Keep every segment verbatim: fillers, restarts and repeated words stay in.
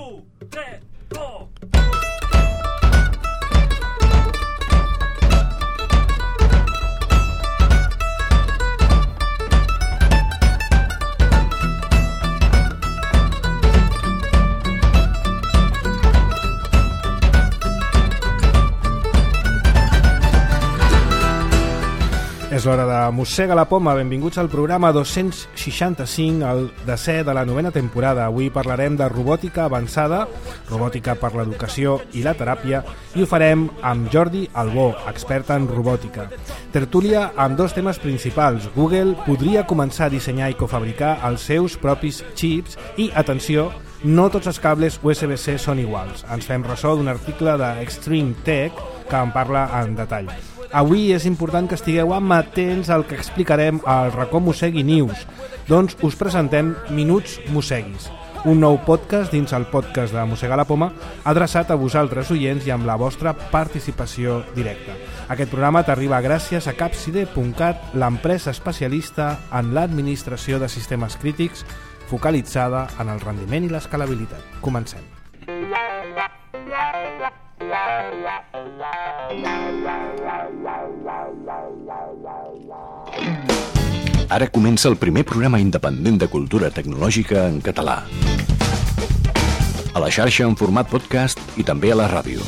un, tres, dos... És l'hora de Mossega la Poma. Benvinguts al programa dos-cents seixanta-cinc, el desè de la novena temporada. Avui parlarem de robòtica avançada, robòtica per l'educació i la teràpia, i ho farem amb Jordi Albó, expert en robòtica. Tertúlia amb dos temes principals. Google podria començar a dissenyar i cofabricar els seus propis xips i, atenció, no tots els cables U S B C són iguals. Ens fem ressò d'un article d'Extreme Tech que en parla en detall. Avui és important que estigueu amatents al que explicarem al racó Mossegui News. Doncs us presentem Minuts Mosseguis, un nou podcast dins el podcast de Mossega la Poma, adreçat a vosaltres oients i amb la vostra participació directa. Aquest programa t'arriba gràcies a Capside punt cat, l'empresa especialista en l'administració de sistemes crítics, focalitzada en el rendiment i l'escalabilitat. Comencem. Ara comença el primer programa independent de cultura tecnològica en català. A la xarxa en format podcast i també a la ràdio.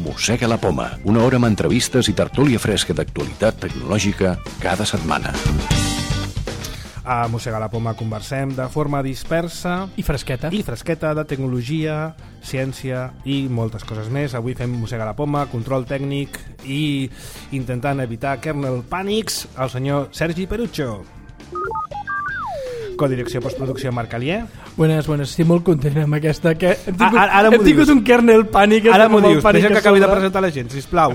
Mossega la Poma, una hora amb entrevistes i tertúlia fresca d'actualitat tecnològica cada setmana. A Mossega la Poma conversem de forma dispersa i fresqueta i fresqueta de tecnologia, ciència i moltes coses més. Avui fem Mossega la Poma, control tècnic i intentant evitar kernel pànics, el senyor Sergi Perucho. Codirecció postproducció Marc Alier. Buenas, buenas, estic molt content amb aquesta que hem tingut, ara, ara hem tingut dius. un kernel pànic. Ara m'ho dius, deixa que acabi de presentar la gent, sisplau.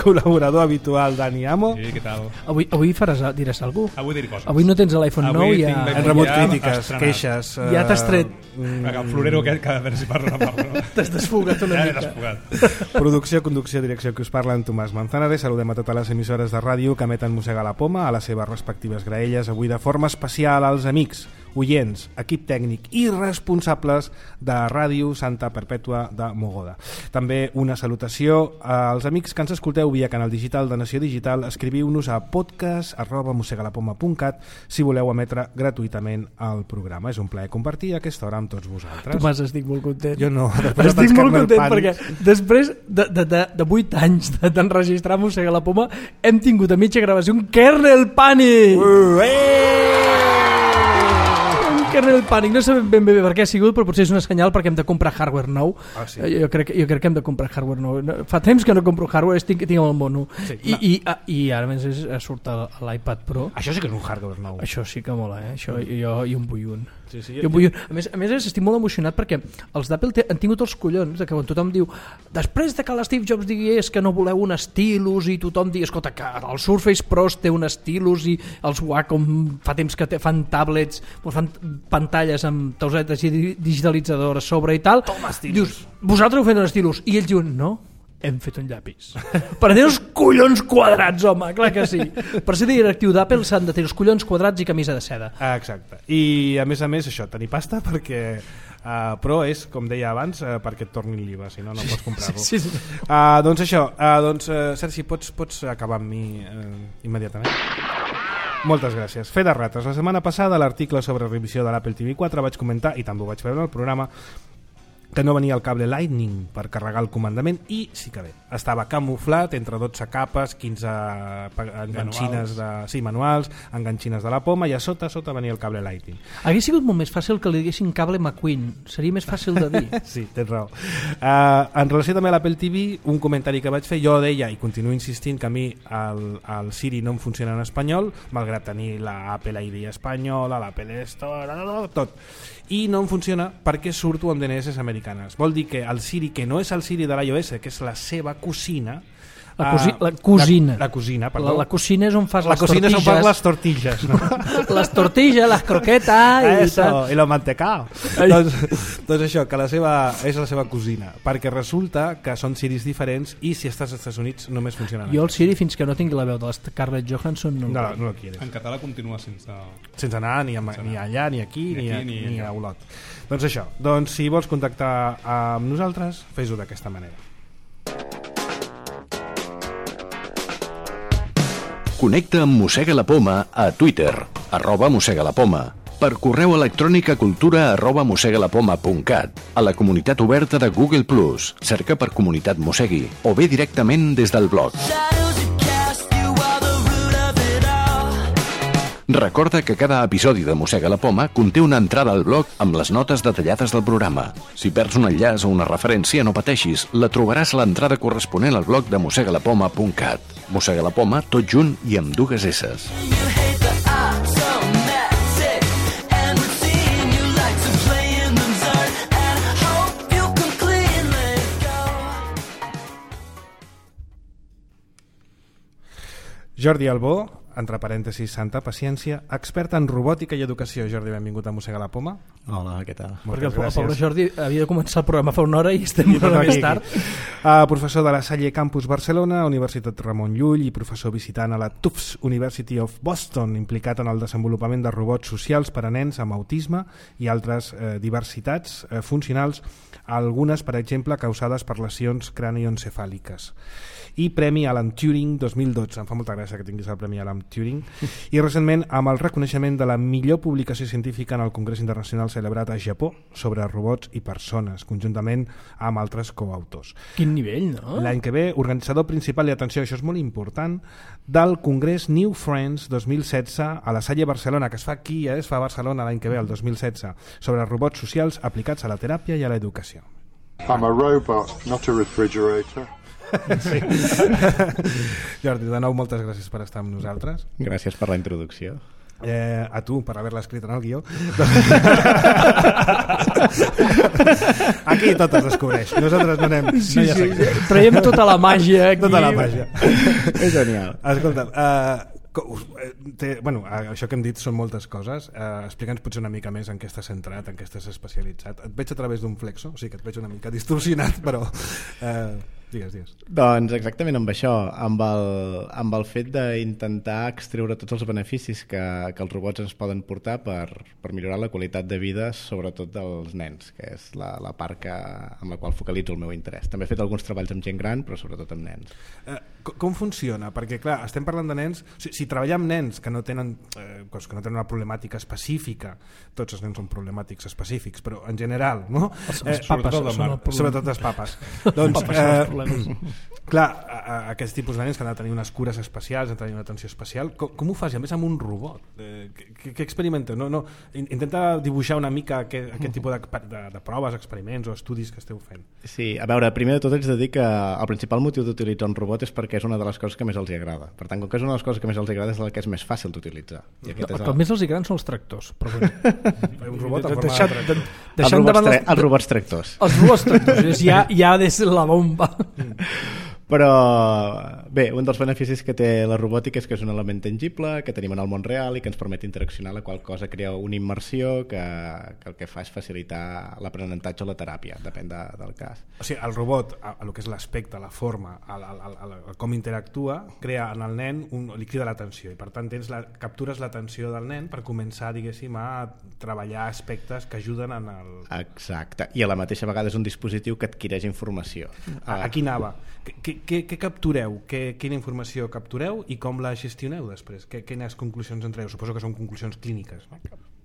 Col·laborador habitual Dani Amo. Sí, què tal? Avui, avui faràs, diràs alguna cosa? Avui diré coses. Avui no tens l'iPhone nou i ja... Hem rebut crítiques, queixes... Ja t'has tret. Mm. El florero aquest que a veure si parla amb no? T'has desfogat una ja mica. desfogat. Producció, conducció, direcció, que us parla en Tomàs Manzanares. Saludem a totes les emissores de ràdio que emeten Mossega la Poma a les seves respectives graelles. Avui de forma especial als amics, oients, equip tècnic i responsables de Ràdio Santa Perpètua de Mogoda. També una salutació als amics que ens escolteu via canal digital de Nació Digital. Escriviu-nos a podcast arroba mossegalapoma punt cat si voleu emetre gratuïtament el programa. És un plaer compartir aquesta hora amb tots vosaltres. Tomàs, estic molt content. Jo no. Estic molt content perquè després de, de, de, de vuit anys d'enregistrar Mossega la Poma hem tingut a mitja gravació un kernel pànic! Uh, eh! Kernel pànic, no sabem ben bé per què ha sigut, però potser és un senyal perquè hem de comprar hardware nou. Ah, sí. jo, crec, jo crec que hem de comprar hardware nou. Fa temps que no compro hardware, tinc, tinc el mono. Sí, I, i, i ara més és, surt l'iPad Pro. Això sí que és un hardware nou. Això sí que mola, eh? Això, jo, jo en vull un. Sí, sí, jo, jo vull un. A més, a més estic molt emocionat perquè els d'Apple han tingut els collons de que quan tothom diu després de que l'Steve Jobs digués que no voleu un stylus i tothom digui, escolta, que el Surface Pro té un stylus i els Wacom fa temps que fan tablets, fan pantalles amb tausetes digitalitzadores a sobre i tal. Toma, dius, vosaltres heu fet un stylus? I ells diuen, no, hem fet un llapis. Per tenir els collons quadrats, home, clar que sí. Per ser directiu d'Apple s'han de tenir els collons quadrats i camisa de seda. Ah, exacte. I a més a més això, tenir pasta perquè uh, però és, com deia abans, uh, perquè et tornin l'I V A, si no, no pots comprar-lo. Sí, sí, sí. Uh, doncs això, uh, doncs, uh, Sergi, pots, pots acabar amb mi uh, immediatament? Moltes gràcies. Fe de rates. La setmana passada a l'article sobre revisió de l'Apple T V quatre vaig comentar, i també ho vaig veure en el programa, que no venia el cable Lightning per carregar el comandament, i sí que bé, estava camuflat entre dotze capes, quinze enganxines de, sí, manuals, enganxines de la poma, i a sota a sota venia el cable Lightning. Hauria sigut molt més fàcil que li diguessin cable McQueen, seria més fàcil de dir. Sí, tens raó. Uh, en relació també a l'Apple T V, un comentari que vaig fer, jo deia, i continuo insistint, que a mi el, el Siri no em funciona en espanyol, malgrat tenir l'Apple I D espanyola, l'Apple Store, tot. I no em funciona perquè surto amb D N S americanes. Vol dir que el Siri, que no és el Siri de l'iOS, que és la seva cosina, La, cosi la cosina. La, la cosina, perdó. La, la cocina és on fas la les cocina tortilles. és on fas les tortilles, no? Les tortilles, les croquetes i Eso, tal. i lo mantecao. doncs, doncs això, que la seva, és la seva cosina, perquè resulta que són Siris diferents i si estàs als Estats Units només funcionen. Jo el Siri, fins que no tingui la veu de la Scarlett Johansson, no, No, no lo quieres. En català continua sense... Sense anar ni, a, ni allà, ni aquí, ni, Ni a, aquí, ni, ni ni allà. a Olot. Doncs això, doncs si vols contactar amb nosaltres, fes-ho d'aquesta manera. Connecta amb Mossega la Poma a Twitter, arroba Mossega la Poma, per correu electrònic a cultura arroba mossegalapoma punt cat, a la comunitat oberta de Google plus, cerca per Comunitat Mossegui, o bé directament des del blog. Recorda que cada episodi de Mossega la Poma conté una entrada al blog amb les notes detallades del programa. Si perds un enllaç o una referència, no pateixis, la trobaràs a l'entrada corresponent al blog de mossegalapoma punt cat. Mossega la Poma, tot junt i amb dues esses. Jordi Albó, entre parèntesis, santa paciència, expert en robòtica i educació. Jordi, benvingut a Mossega la Poma. Hola, què tal? Perquè el, el gràcies. pobre Jordi havia de començar el programa fa una hora i estem una hora més tard. Uh, professor de la Salle Campus Barcelona, Universitat Ramon Llull, i professor visitant a la Tufts University of Boston, implicat en el desenvolupament de robots socials per a nens amb autisme i altres eh, diversitats eh, funcionals, algunes, per exemple, causades per lesions cranioencefàliques. I Premi Alan Turing dos mil dotze. Em fa molta gràcia que tinguis el Premi Alan Turing. I recentment amb el reconeixement de la millor publicació científica en el Congrés Internacional celebrat a Japó sobre robots i persones, conjuntament amb altres coautors. Quin nivell, no? L'any que ve, organitzador principal, i atenció, això és molt important, del Congrés New Friends dos mil setze a la Salle Barcelona, que es fa aquí, eh? Es fa a Barcelona l'any que ve, el dos mil setze, sobre robots socials aplicats a la teràpia i a l'educació. I'm a robot, not a refrigerator. Sí. Jordi, de nou moltes gràcies per estar amb nosaltres. Gràcies per la introducció. Eh, a tu per haver-la escrit en el guió. Aquí tot es descobreix. Nosaltres no anem, Sí, no hi ha sí, secret. sí. Traiem tota la màgia aquí. Tota la màgia. És genial. Escolta, uh, co- eh, té, bueno, eh, això que hem dit són moltes coses. Uh, Explica'ns potser una mica més en què estàs centrat, en què estàs especialitzat. Et veig a través d'un flexo, o sigui que et veig una mica distorsionat, però uh, digues, digues. Doncs exactament amb això, amb el, amb el fet d'intentar extreure tots els beneficis que, que els robots ens poden portar per, per millorar la qualitat de vida, sobretot dels nens, que és la, la part que, amb la qual focalitzo el meu interès. També he fet alguns treballs amb gent gran, però sobretot amb nens. Eh, com, com funciona? Perquè, clar, estem parlant de nens... O sigui, si treballem amb nens que no tenen eh, que no tenen una problemàtica específica, tots els nens són problemàtics específics, però en general, no? Els, Eh, els papes sobretot són el problema. Sobretot els papes. Doncs, Papes són els eh, problemes. clar, a, a, aquest tipus de nens que han de tenir unes cures especials, han de tenir una atenció especial, com, com ho fas? I a més amb un robot. Eh, què, què experimenta? No, no, intenta dibuixar una mica aquest, aquest tipus de, de, de proves, experiments o estudis que esteu fent. Sí, a veure, primer de tot haig de dir que el principal motiu d'utilitzar un robot és perquè és una de les coses que més els hi agrada. Per tant, com que és una de les coses que més els hi agrada, és la que és més fàcil d'utilitzar. I aquest El és que el... més els hi gran són els tractors. Però bueno. Un robot en forma Deixant, de de, tractor. els, deixant robots davant tra... els, els robots tractors. els robots tractors. Ja, ja és la bomba. Però bé, un dels beneficis que té la robòtica és que és un element tangible, que tenim en el món real i que ens permet interaccionar, la qual cosa crea una immersió que, que el que fa és facilitar l'aprenentatge o la teràpia, depèn de, del cas. O sigui, el robot, a, a lo que és l'aspecte, la forma, a, a, a, a, a com interactua, crea en el nen, un, li crida l'atenció i per tant tens la, captures l'atenció del nen per començar, diguéssim, a treballar aspectes que ajuden en el... Exacte, i a la mateixa vegada és un dispositiu que adquireix informació. A, aquí anava. Què, què, què captureu? Què, quina informació captureu i com la gestioneu després? Què, quines conclusions en treu? Suposo que són conclusions clíniques, no?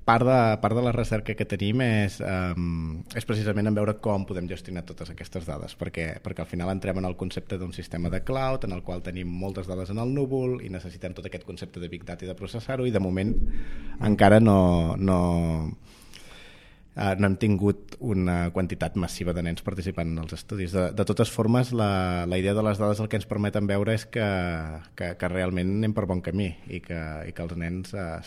Part de, part de la recerca que tenim és, um, és precisament en veure com podem gestionar totes aquestes dades, perquè, perquè al final entrem en el concepte d'un sistema de cloud en el qual tenim moltes dades en el núvol i necessitem tot aquest concepte de Big Data i de processar-ho, i de moment encara no, no, uh, no hem tingut una quantitat massiva de nens participant en els estudis. De, de totes formes, la, la idea de les dades el que ens permeten veure és que, que, que realment anem per bon camí i que, i que els nens uh,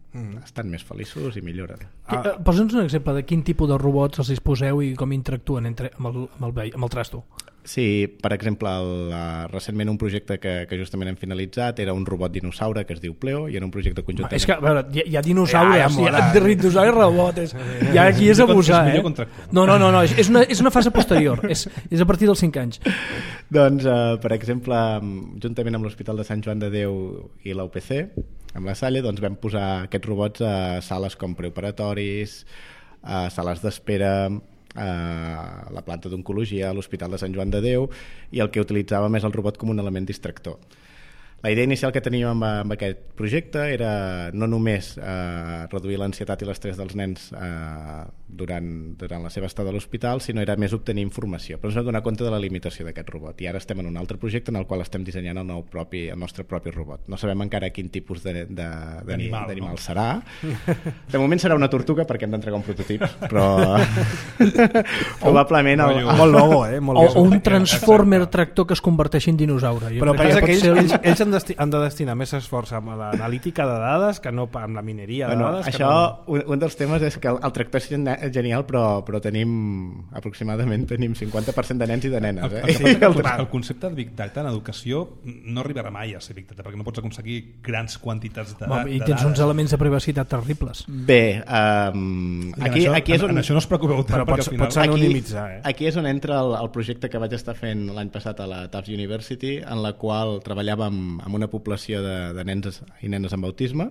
Mm. estan més feliços i milloren. Ah. Posa'ns un exemple de quin tipus de robots els disposeu i com interactuen entre, amb, el, amb, el, veí- amb el trasto. Sí, per exemple, el, uh, recentment un projecte que, que justament hem finalitzat era un robot dinosaure que es diu Pleo i era un projecte conjuntament... És que, a veure, hi ha, hi ha dinosaures, Ja, ja hi ha mola. dinosaures robots, ja aquí és abusar, eh? No, no, no, no, és una, és una fase posterior, és, és a partir dels cinc anys. Doncs, uh, per exemple, juntament amb l'Hospital de Sant Joan de Déu i l'U P C, amb la Salle, doncs vam posar aquests robots a sales com preoperatoris, a sales d'espera, a la planta d'oncologia, a l'Hospital de Sant Joan de Déu, i el que utilitzàvem és el robot com un element distractor. La idea inicial que teníem amb, amb aquest projecte era no només eh, reduir l'ansietat i l'estrès dels nens eh, durant, durant la seva estada a l'hospital, sinó era més obtenir informació. Però ens vam donar compte de la limitació d'aquest robot i ara estem en un altre projecte en el qual estem dissenyant el, nou propi, el nostre propi robot. No sabem encara quin tipus d'animal no? serà. De moment serà una tortuga perquè hem d'entregar un prototip, però probablement... El, Molt logo, eh? Molt O, logo. o un transformer tractor que es converteixi en dinosaure. Jo Però crec pensa que ells, pot ser- ells, ells han, desti han de destinar més esforç amb l'analítica de dades que no amb la mineria de Bueno, dades. això, que no... un, un dels temes és que el, el tractor és gen- genial, però, però tenim aproximadament tenim cinquanta per cent de nens i de nenes. El, Eh? el, que passa El que el, el concepte de Big Data en educació no arribarà mai a ser Big Data, perquè no pots aconseguir grans quantitats de, Home, I de tens dades. uns elements de privacitat terribles. Bé, um, I en aquí, això, aquí és on... en, en això no us preocupeu tant, Però perquè pots- al final... pots anonimitzar, eh? Aquí és on entra el, el projecte que vaig estar fent l'any passat a la Tufts University, en la qual treballàvem amb una població de, de nens i nenes amb autisme,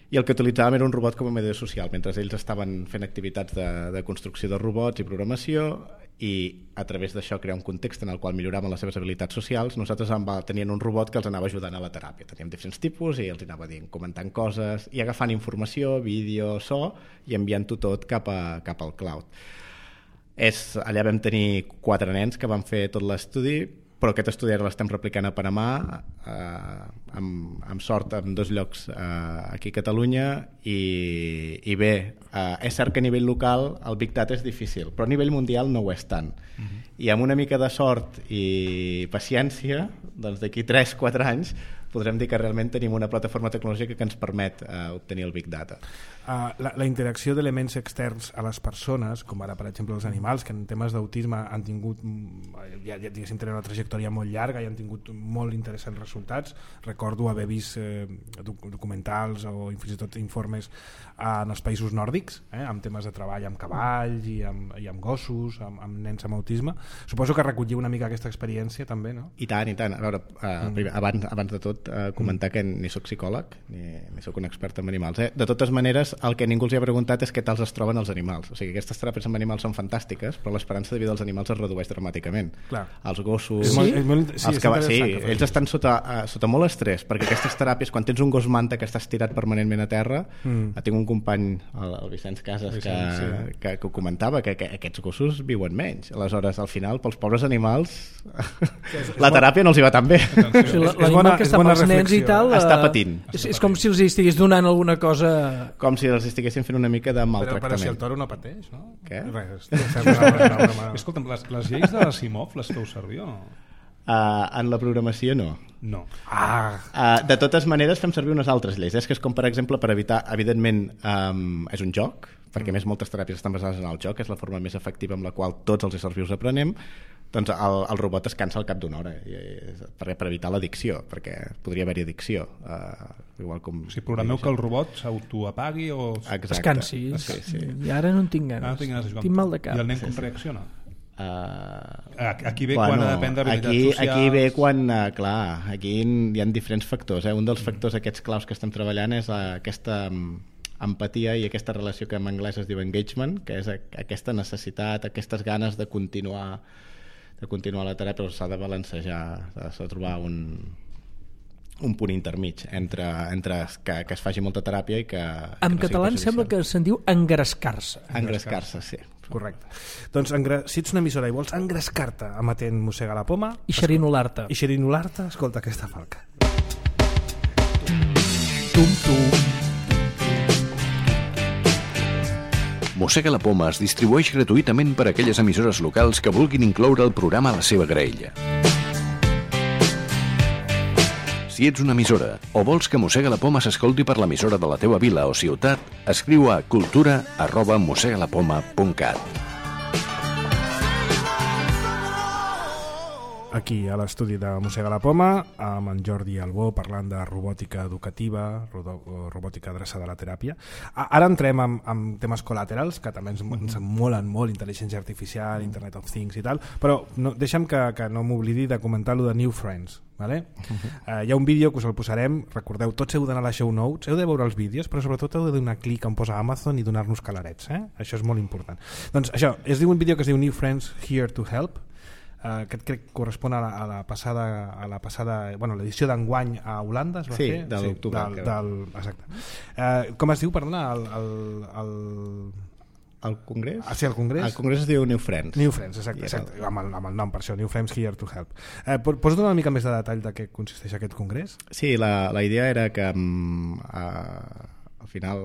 i el que utilitzàvem era un robot com a mediador social, mentre ells estaven fent activitats de, de construcció de robots i programació, i a través d'això crear un context en el qual milloraven les seves habilitats socials. Nosaltres tenien un robot que els anava ajudant a la teràpia. Teníem diferents tipus i els anava dient, comentant coses i agafant informació, vídeo, so, i enviant-ho tot cap, a, cap al cloud. És, allà vam tenir quatre nens que van fer tot l'estudi, però aquest estudi ara l'estem replicant a Panamà, eh, amb, amb sort en dos llocs eh, aquí a Catalunya, i, i bé, eh, és cert que a nivell local el Big Data és difícil, però a nivell mundial no ho és tant. Uh-huh. I amb una mica de sort i paciència, doncs d'aquí tres quatre anys podrem dir que realment tenim una plataforma tecnològica que ens permet eh, obtenir el Big Data. Uh, la, la interacció d'elements externs a les persones, com ara per exemple els animals, que en temes d'autisme han tingut ja, ja diguéssim, tenen una trajectòria molt llarga i han tingut molt interessants resultats. Recordo haver vist eh, doc documentals o fins i tot informes eh, en els països nòrdics, eh, amb temes de treball amb cavalls i amb, i amb gossos, amb, amb nens amb autisme. Suposo que recolliu una mica aquesta experiència també, no? I tant, i tant. A veure, eh, mm. primer, abans, abans de tot eh, comentar mm. que ni sóc psicòleg ni, ni sóc un expert en animals. Eh? De totes maneres, el que ningú els hi ha preguntat és què tal es troben els animals. O sigui, aquestes teràpies amb animals són fantàstiques, però l'esperança de vida dels animals es redueix dramàticament. Clar. Els gossos... És molt, és molt, sí, els és que, sí, interessant que ells estan sota, uh, sota molt estrès, perquè aquestes teràpies, quan tens un gos manta que està estirat permanentment a terra, mm. tinc un company, el, el Vicenç Casas, Vicenç, que, sí. que, que ho comentava, que, que aquests gossos viuen menys. Aleshores, al final, pels pobres animals, la teràpia no els hi va tan bé. O sigui, l'animal que està pels nens i tal està patint. És, és com si els estigués donant alguna cosa... Com si els estiguessin fent una mica de Però, maltractament. però si el toro no pateix, no? Què? Res, una, una, una, una... Escolta'm, les, les lleis de l'Asimov les feu servir o no? Uh, en la programació no. No. Ah, Uh, de totes maneres fem servir unes altres lleis, eh? Que és com per exemple per evitar, evidentment um, és un joc, perquè a més moltes teràpies estan basades en el joc, és la forma més efectiva amb la qual tots els éssers vius aprenem, doncs el, el robot es cansa al cap d'una hora i, i, per, per evitar l'addicció, perquè podria haver-hi addicció, uh, igual com... O sigui, programeu que el robot s'autoapagui o... Exacte. Es cansi. Sí, sí. I ara no en tinc ganes. Ah, no tinc ganes de jugar. Tinc mal de cap. I el nen com reacciona? Uh, Aquí ve quan ha de prendre habilitats aquí, socials. aquí ve quan, uh, clar, aquí hi ha diferents factors, eh? Un dels factors aquests claus que estem treballant és uh, aquesta um, empatia i aquesta relació que en anglès es diu engagement, que és a, aquesta necessitat, aquestes ganes de continuar de continuar la teràpia, però s'ha de balancejar, s'ha de trobar un, un punt intermig entre, entre que, que es faci molta teràpia i que... En que no català em sigui sembla que se'n diu engrescar-se. engrescar-se, sí. correcte. Doncs engra... si ets una emissora i vols engrescar-te emetent Mossega la Poma I xerinolar-te. i xerinolar-te, escolta aquesta falca. Tum, tum. Mossega la Poma es distribueix gratuïtament per a aquelles emissores locals que vulguin incloure el programa a la seva graella. Si ets una emissora o vols que Mossega la Poma s'escolti per l'emissora de la teva vila o ciutat, escriu a cultura arroba mossegalapoma punt cat. aquí a l'estudi de Mossega la Poma amb en Jordi Albó parlant de robòtica educativa, robòtica adreçada a la teràpia. Ara entrem amb, amb temes col·laterals que també ens, ens molen molt, intel·ligència artificial, Internet of Things i tal, però no, deixa'm que, que no m'oblidi de comentar lo de New Friends. Vale? Uh-huh. Uh, hi ha un vídeo que us el posarem, recordeu, tots heu d'anar a la show notes, heu de veure els vídeos, però sobretot heu de donar clic on posa Amazon i donar-nos calarets, eh? Això és molt important. Doncs això, es diu un vídeo que es diu New Friends Here to Help, uh, que crec que correspon a la, a la passada, a la passada, bueno, l'edició d'enguany a Holanda es va sí, fer? De l'octubre, sí, del, del, exacte. Uh, com es diu, perdona, el... el, el... El Congrés? Ah, sí, el Congrés. El Congrés es diu New Friends. New Friends, exacte, exacte. El... Amb, el, amb el nom, per això, New Friends Here to Help. Eh, pots donar una mica més de detall de què consisteix aquest congrés? Sí, la, la idea era que um, uh, al final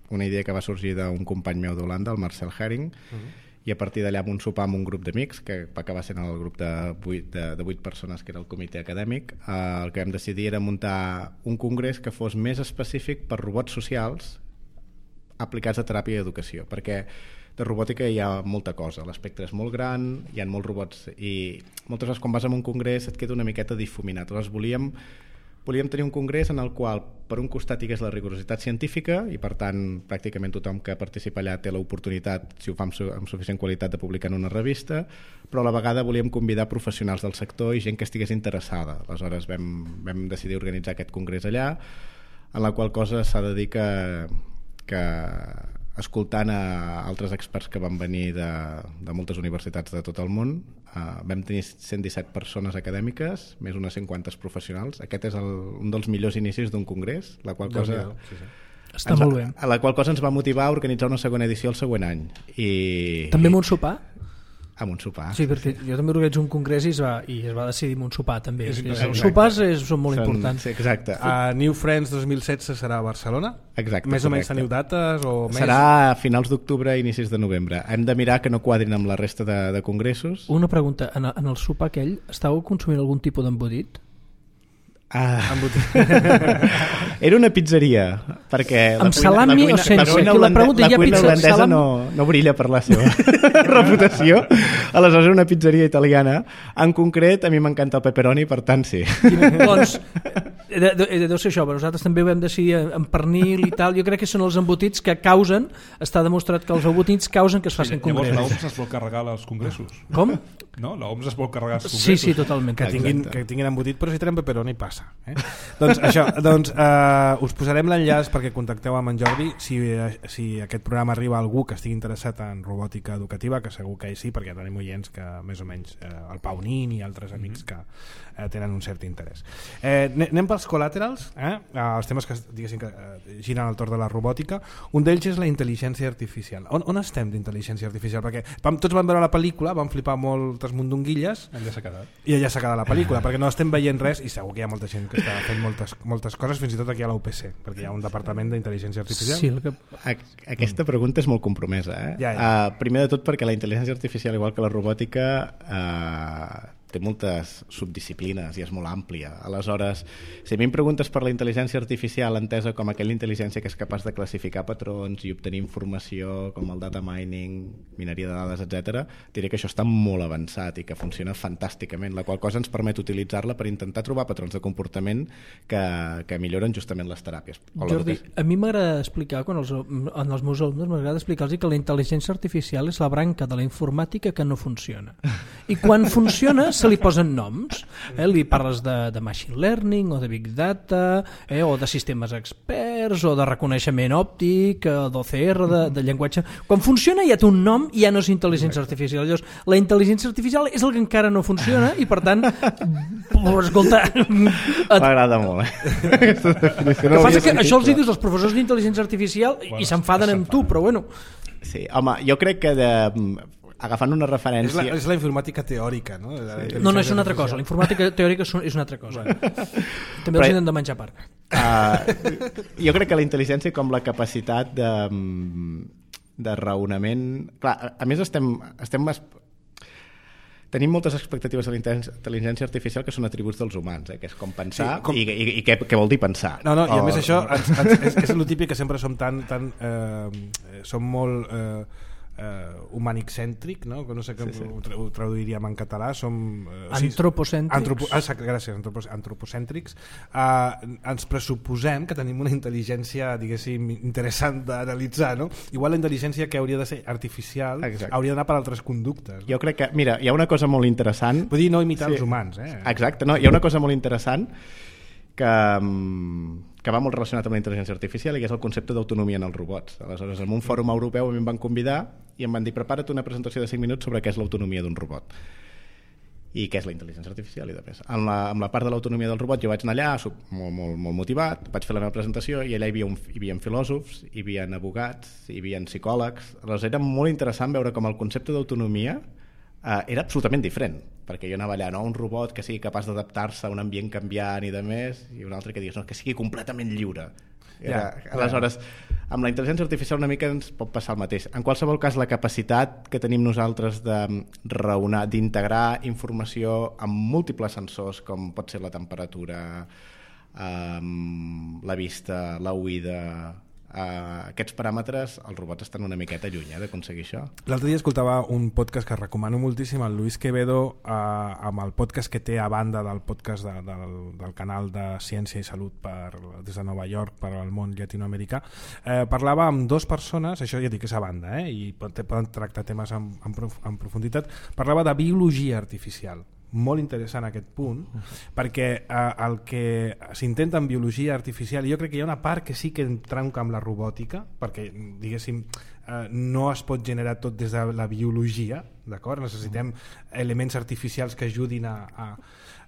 una idea que va sorgir d'un company meu d'Holanda, el Marcel Herring, uh-huh. i a partir d'allà amb un sopar amb un grup d'amics, que va acabar sent el grup de vuit, de, de vuit persones que era el comitè acadèmic, uh, el que vam decidir era muntar un congrés que fos més específic per robots socials aplicats a teràpia i educació, perquè de robòtica hi ha molta cosa, l'espectre és molt gran, hi ha molts robots i moltes vegades quan vas a un congrés et queda una miqueta difuminat. Llavors volíem, volíem tenir un congrés en el qual per un costat hi hagués la rigorositat científica i per tant pràcticament tothom que participa allà té l'oportunitat, si ho fa amb, su amb suficient qualitat, de publicar en una revista, però a la vegada volíem convidar professionals del sector i gent que estigués interessada. Aleshores vam, vam decidir organitzar aquest congrés allà, en la qual cosa s'ha de dir que que escoltant a altres experts que van venir de, de moltes universitats de tot el món, eh, vam tenir cent disset persones acadèmiques, més unes cinquanta professionals. Aquest és el, un dels millors inicis d'un congrés, la qual cosa... Sí, sí. Està molt bé. A la qual cosa ens va motivar a organitzar una segona edició el següent any. I, També amb un sopar? Amb un sopar. Sí, perquè jo també organitzo un congrés i es va, i es va decidir amb un sopar també. És, és, els sopars és, són molt són, importants. Sí, exacte. A New Friends dos mil setze serà a Barcelona? Exacte. Més correcte. o menys teniu dates? O més... Serà a finals d'octubre i inicis de novembre. Hem de mirar que no quadrin amb la resta de, de congressos. Una pregunta, en, en el sopar aquell estàveu consumint algun tipus d'embotit? Ah. Era una pizzeria perquè amb salami o sense? La cuina, la cuina, la cuina holandesa salam... no, no brilla per la seva reputació, aleshores una pizzeria italiana. En concret a mi m'encanta el pepperoni, per tant sí. Doncs de, de, deu ser això, però nosaltres també ho vam decidir amb pernil i tal. Jo crec que són els embotits que causen, està demostrat que els embotits causen que es facin sí, congressos. Llavors l'O M S es vol carregar als congressos. Com? No? L'O M S es vol carregar als congressos. Sí, sí, totalment. Que tinguin, que tinguin embotit, però si tenen pepperoni passa. Eh? doncs això, doncs uh, us posarem l'enllaç perquè contacteu amb en Jordi si, si aquest programa arriba a algú que estigui interessat en robòtica educativa, que segur que hi sí, perquè tenim oients que més o menys uh, el Pau Nin i altres amics que uh, tenen un cert interès. Eh, anem pels collaterals, eh? uh, els temes que, diguéssim, que uh, giren al torn de la robòtica. Un d'ells és la intel·ligència artificial. On, on estem d'intel·ligència artificial? Perquè vam, tots van veure la pel·lícula, vam flipar moltes mundonguilles allà s'ha quedat. I allà s'ha quedat la pel·lícula, perquè no estem veient res i segur que hi ha molta gent que està fent moltes, moltes coses, fins i tot aquí a la U P C, perquè hi ha un departament d'intel·ligència artificial. Sí, el que... Aquesta pregunta és molt compromesa. Eh? Ja, ja. Uh, primer de tot perquè la intel·ligència artificial, igual que la robòtica, uh, té moltes subdisciplines i és molt àmplia. Aleshores, si a mi em preguntes per la intel·ligència artificial entesa com aquella intel·ligència que és capaç de classificar patrons i obtenir informació com el data mining, mineria de dades, etcètera, diré que això està molt avançat i que funciona fantàsticament, la qual cosa ens permet utilitzar-la per intentar trobar patrons de comportament que, que milloren justament les teràpies. Jordi, a mi m'agrada explicar, quan els, en els meus alumnes m'agrada explicar-los que la intel·ligència artificial és la branca de la informàtica que no funciona. I quan funciona se li posen noms, eh? Li parles de, de machine learning o de big data, eh? O de sistemes experts o de reconeixement òptic, d'O C R, de, de llenguatge. Quan funciona ja té un nom i ja no és intel·ligència artificial. Llavors, la intel·ligència artificial és el que encara no funciona i per tant, escolta, m'agrada molt, eh? Que passa que això els dius als professors d'intel·ligència artificial i s'enfaden amb tu, però bueno. Sí, home, jo crec que de... agafant una referència... És la, és la informàtica teòrica, no? Sí. No, no, és una altra cosa. La informàtica teòrica és una altra cosa. També els hem de menjar a part. Uh, jo crec que la intel·ligència com la capacitat de, de raonament... Clar, a més estem... estem més... Tenim moltes expectatives de la intel·ligència artificial que són atributs dels humans, eh? Que és com pensar sí, com... i, i, i què, què vol dir pensar. No, no, i a o... més això ens, ens, és, és el típic que sempre som tan... tan eh, som molt... Eh, eh, humanicèntric, no? no sé com sí, sí. ho traduiríem en català, som eh, antropocèntrics, antropo, ah, gràcies, antropos, antropocèntrics. Eh, ens pressuposem que tenim una intel·ligència, diguéssim, interessant d'analitzar, no? Igual la intel·ligència que hauria de ser artificial Exacte. hauria d'anar per altres conductes, no? Jo crec que, mira, hi ha una cosa molt interessant, vull dir, no imitar sí. els humans, eh? Exacte, no? Hi ha una cosa molt interessant que que va molt relacionat amb la intel·ligència artificial i que és el concepte d'autonomia en els robots. Aleshores, en un fòrum europeu a mi em van convidar i em van dir prepara't una presentació de cinc minuts sobre què és l'autonomia d'un robot i què és la intel·ligència artificial i de més. En la, en la part de l'autonomia del robot jo vaig anar allà molt, molt, molt motivat, vaig fer la meva presentació i allà hi havia, un, hi havia filòsofs, hi havia abogats, hi havia psicòlegs. Aleshores era molt interessant veure com el concepte d'autonomia eh, era absolutament diferent, perquè jo anava allà, no? Un robot que sigui capaç d'adaptar-se a un ambient canviant i de més, i un altre que digués, no, que sigui completament lliure. Era, ja, aleshores, amb la intel·ligència artificial una mica ens pot passar el mateix. En qualsevol cas, la capacitat que tenim nosaltres de raonar, d'integrar informació amb múltiples sensors, com pot ser la temperatura, um, la vista, l'oïda, Uh, aquests paràmetres, els robots estan una miqueta lluny eh, d'aconseguir això. L'altre dia escoltava un podcast que recomano moltíssim, el Luis Quevedo, uh, amb el podcast que té a banda del podcast de, del, del canal de Ciència i Salut per, des de Nova York per al món llatinoamericà. Uh, parlava amb dues persones, això ja dic és a banda, eh, i poden tractar temes en, en, prof, en profunditat. Parlava de biologia artificial. Molt interessant aquest punt, perquè eh, el que s'intenta en biologia artificial, jo crec que hi ha una part que sí que entranca amb la robòtica, perquè diguéssim eh, no es pot generar tot des de la biologia, d'acord? Necessitem elements artificials que ajudin a, a,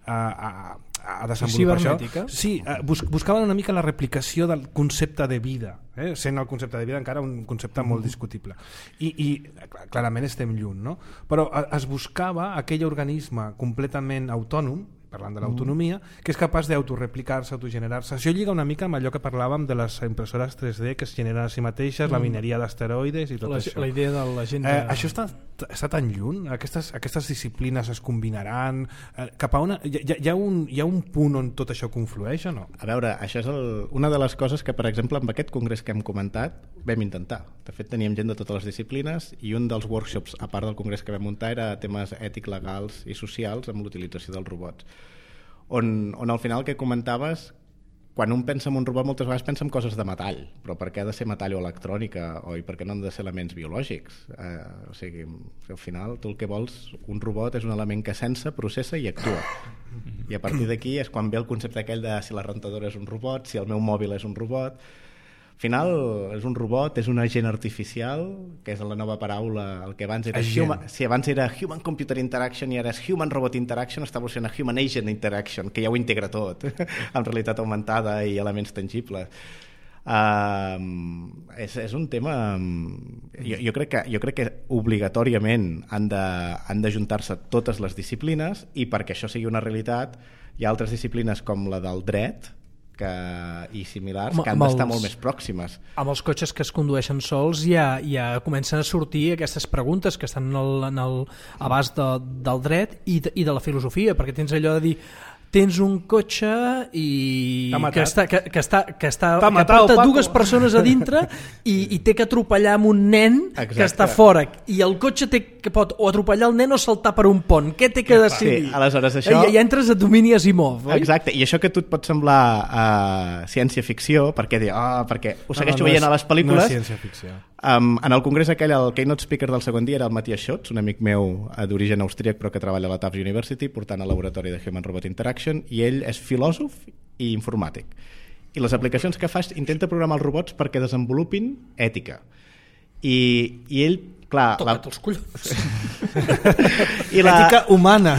a, a, a desenvolupar això. Sí, eh, bus buscaven una mica la replicació del concepte de vida, eh? Sent el concepte de vida encara un concepte molt discutible. I, i clarament estem lluny, no? Però es buscava aquell organisme completament autònom, parlant de l'autonomia, que és capaç d'autoreplicar-se, autogenerar-se. Això lliga una mica amb allò que parlàvem de les impressores tres D que es generen a si mateixes, mm. la mineria d'asteroides i tot la, això. La idea de la gent... De... Eh, això està, està tan lluny? Aquestes, aquestes disciplines es combinaran? Eh, cap a una, hi, hi, ha un, hi ha un punt on tot això conflueix o no? A veure, això és el, una de les coses que, per exemple, amb aquest congrés que hem comentat, vam intentar. De fet, teníem gent de totes les disciplines i un dels workshops, a part del congrés que vam muntar, era temes ètics, legals i socials amb l'utilització dels robots. On, on al final que comentaves, quan un pensa en un robot moltes vegades pensa en coses de metall, però per què ha de ser metall o electrònica, o i per què no han de ser elements biològics? Eh, o sigui, al final tu el que vols, un robot és un element que sense, processa i actua. I a partir d'aquí és quan ve el concepte aquell de si la rentadora és un robot, si el meu mòbil és un robot. Al final és un robot, és un agent artificial, que és la nova paraula, el que abans era human, si abans era Human Computer Interaction i ara és Human Robot Interaction, està evolucionant a Human Agent Interaction, que ja ho integra tot, amb realitat augmentada i elements tangibles. Uh, és, és un tema... Jo, jo, crec que, jo crec que obligatòriament han de, han de juntar-se totes les disciplines i perquè això sigui una realitat hi ha altres disciplines com la del dret que, i similars Home, que han d'estar molt més pròximes. Amb els cotxes que es condueixen sols ja, ja comencen a sortir aquestes preguntes que estan en el, en el abast de, del dret i de, i de la filosofia, perquè tens allò de dir tens un cotxe i que està, que, que està, que està que matat, porta dues persones a dintre i, i té que atropellar amb un nen Exacte. Que està fora i el cotxe té que pot o atropellar el nen o saltar per un pont. Què té que decidir? Sí, aleshores això... I, i entres a domini Asimov, oi? Exacte, i això que a tu et pot semblar uh, ciència-ficció, perquè, oh, perquè ho segueixo no, no, veient no és, a les pel·lícules... No és ciència-ficció. Um, en el congrés aquell, el keynote speaker del segon dia era el Matthias Schotz, un amic meu d'origen austríac però que treballa a la Tufts University portant al laboratori de Human Robot Interaction, i ell és filòsof i informàtic. I les aplicacions que fa intenta programar els robots perquè desenvolupin ètica. I, i ell, clar... Toca't la... els collons. I la... Ètica humana.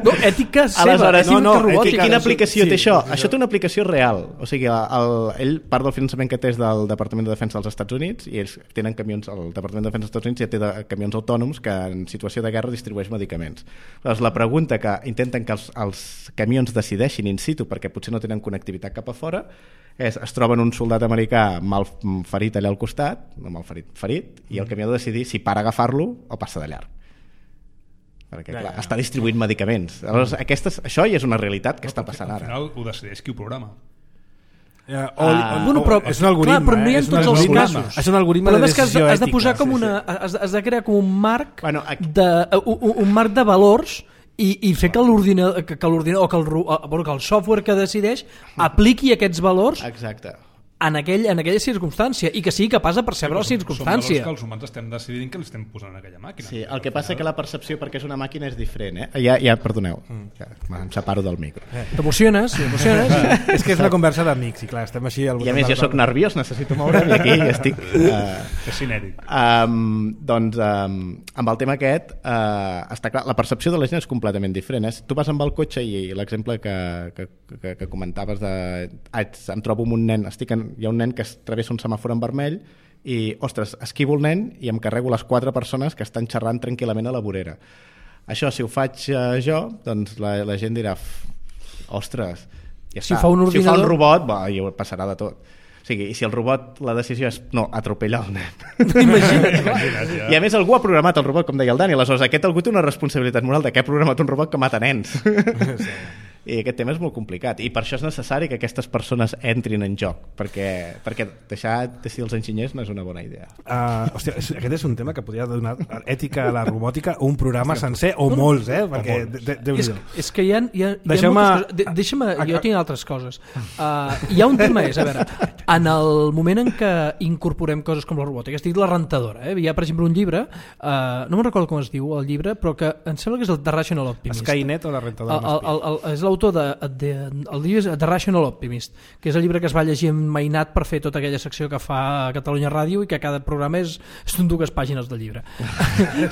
No, ètica seva. Aleshores, no, no, ètica, quina aplicació sí, té això? Sí, això té una aplicació real. O sigui, el, ell, part del finançament que té és del Departament de Defensa dels Estats Units i ells tenen camions, el Departament de Defensa dels Estats Units ja té de, camions autònoms que en situació de guerra distribueix medicaments. Llavors, la pregunta que intenten que els, els camions decideixin in situ perquè potser no tenen connectivitat cap a fora és, es troben un soldat americà mal ferit allà al costat, no mal ferit, ferit, i el camió ha de decidir si para agafar-lo o passa de llarg. Perquè, clar, ja, ja. està distribuint medicaments. Aleshores, aquestes, això ja és una realitat que no, està passant al ara. Al final ho decideix qui ho programa. Uh, o, Ah, bueno, però és un algoritme, clar, però no hi ha eh? en tots els casos. És un algoritme però de és que has, decisió has de ètica. posar com sí, una, sí. has, has de crear com un marc Bueno, aquí- de, un, un marc de valors i, i fer que l'ordinador que, que l'ordinador o que el, ru- bueno, que el software que decideix apliqui aquests valors Exacte. en, aquell, en aquella circumstància i que sigui capaç de percebre la Són circumstància. valors que els humans estem decidint que li estem posant en aquella màquina. Sí, el que passa que la percepció perquè és una màquina és diferent, eh? Ja, ja perdoneu, ja, em separo del micro. T'emociones, t'emociones. És que és una conversa d'amics i clar, estem així al I a voltant més de jo la sóc nerviós, necessito moure'm i aquí estic... Uh, És cinètic. um, doncs um, amb el tema aquest uh, està clar, la percepció de la gent és completament diferent. Eh? Tu vas amb el cotxe i, i l'exemple que, que, que, que comentaves de ah, em trobo amb un nen, estic en, hi ha un nen que es travessa un semàfor en vermell i, ostres, esquivo el nen i em carrego les quatre persones que estan xerrant tranquil·lament a la vorera. Això, si ho faig uh, jo, doncs la, la gent dirà ostres, ja Si està. ho fa un si ho fa un ordinador- robot, va, i passarà de tot. O sigui, i si el robot, la decisió és no, atropellar el nen. Imagina't, clar. I a més algú ha programat el robot, com deia el Dani, aleshores aquest algú té una responsabilitat moral de que ha programat un robot que mata nens. I aquest tema és molt complicat i per això és necessari que aquestes persones entrin en joc, perquè, perquè deixar decidir els enginyers no és una bona idea. Uh, hòstia, és- aquest és un tema que podria donar ètica a la robòtica un programa sencer o molts, eh? Perquè de, de, de, És, és que hi ha, hi ha, hi ha Deixeu-me- moltes coses. De, deixa'm, jo tinc altres coses. Uh, hi ha un tema, és, a veure, en el moment en què incorporem coses com la robòtica, estic la rentadora, eh? Hi ha, per exemple, un llibre, uh, no me'n recordo com es diu el llibre, però que em sembla que és el The Rational Optimist. Skynet o la rentadora El, el, el, el, és l'autor de, de, el llibre és The Rational Optimist, que és el llibre que es va llegir en Mainat per fer tota aquella secció que fa a Catalunya Ràdio i que cada programa és, són dues pàgines del llibre.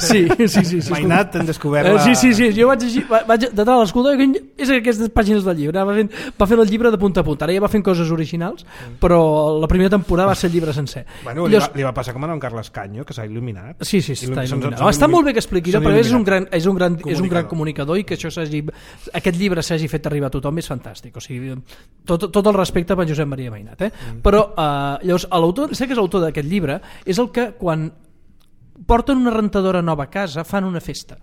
Sí, sí, sí. sí, sí Mainat, hem descobert Eh, la... sí, sí, sí, jo vaig llegir, va- vaig, de tal l'escolta, és aquestes pàgines del llibre, va fent, va fent el llibre de punta a punta, ara ja va fent coses originals, però la primera temporada va ser el llibre sencer. Bueno, li, va, li va passar com a en Carles Canyo, que s'ha il·luminat. Sí, sí, sí, està Són- il·luminat. són Està molt il·lumi- bé que expliqui, són però és un il·luminats. gran, és un gran, és un gran Comunicador. comunicador i que això s'hagi, aquest llibre s'hagi fet arribar a tothom és fantàstic. O sigui, tot, tot el respecte per Josep Maria Mainat. Eh? Mm. Però eh, llavors, l'autor, sé que és l'autor d'aquest llibre, és el que quan porten una rentadora nova a casa fan una festa.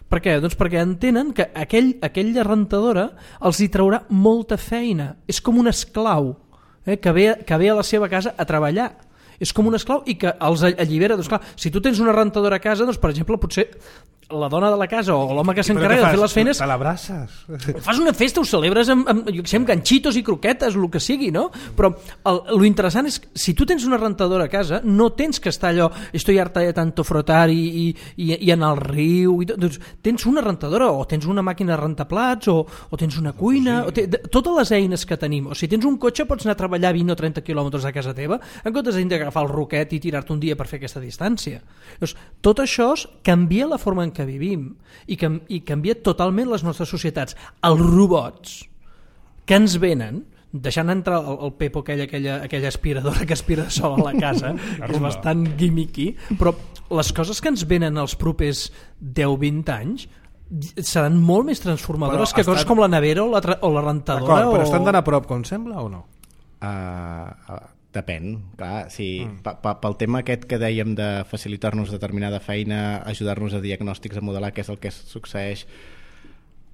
Per què? Doncs perquè entenen que aquell, aquella rentadora els hi traurà molta feina. És com un esclau eh, que, ve, que ve a la seva casa a treballar. És com un esclau i que els allibera. Doncs clar, si tu tens una rentadora a casa, doncs per exemple potser la dona de la casa o l'home que s'encarrega de fer les feines Te l'abraces? fas una festa, ho celebres amb, amb, jo què sé, amb ganxitos i croquetes, el que sigui, no? Però el, lo interessant és que si tu tens una rentadora a casa, no tens que estar allò estoy harta de tanto frotar i, i, i, i anar al riu i tot. Doncs tens una rentadora o tens una màquina de rentaplats o, o tens una cuina o te, de, totes les eines que tenim, o si tens un cotxe pots anar a treballar vint o trenta quilòmetres a casa teva en comptes d'agafar el roquet i tirar-te un dia per fer aquesta distància. Doncs, tot això canvia la forma en què vivim i, cam i canvia totalment les nostres societats. Els robots que ens venen deixant entrar el, el Pepo aquella, aquella, aquella aspiradora que aspira sola a la casa que és bastant gimmicky, però les coses que ens venen els propers deu vint anys seran molt més transformadores Però que coses estan- com la nevera o la, tra- o la rentadora. D'acord, però o... estan tan a prop com sembla o no? Uh, uh, depèn, clar, sí, mm. pa, pa, pel tema aquest que dèiem de facilitar-nos determinada feina, ajudar-nos a diagnòstics, a modelar què és el que succeeix.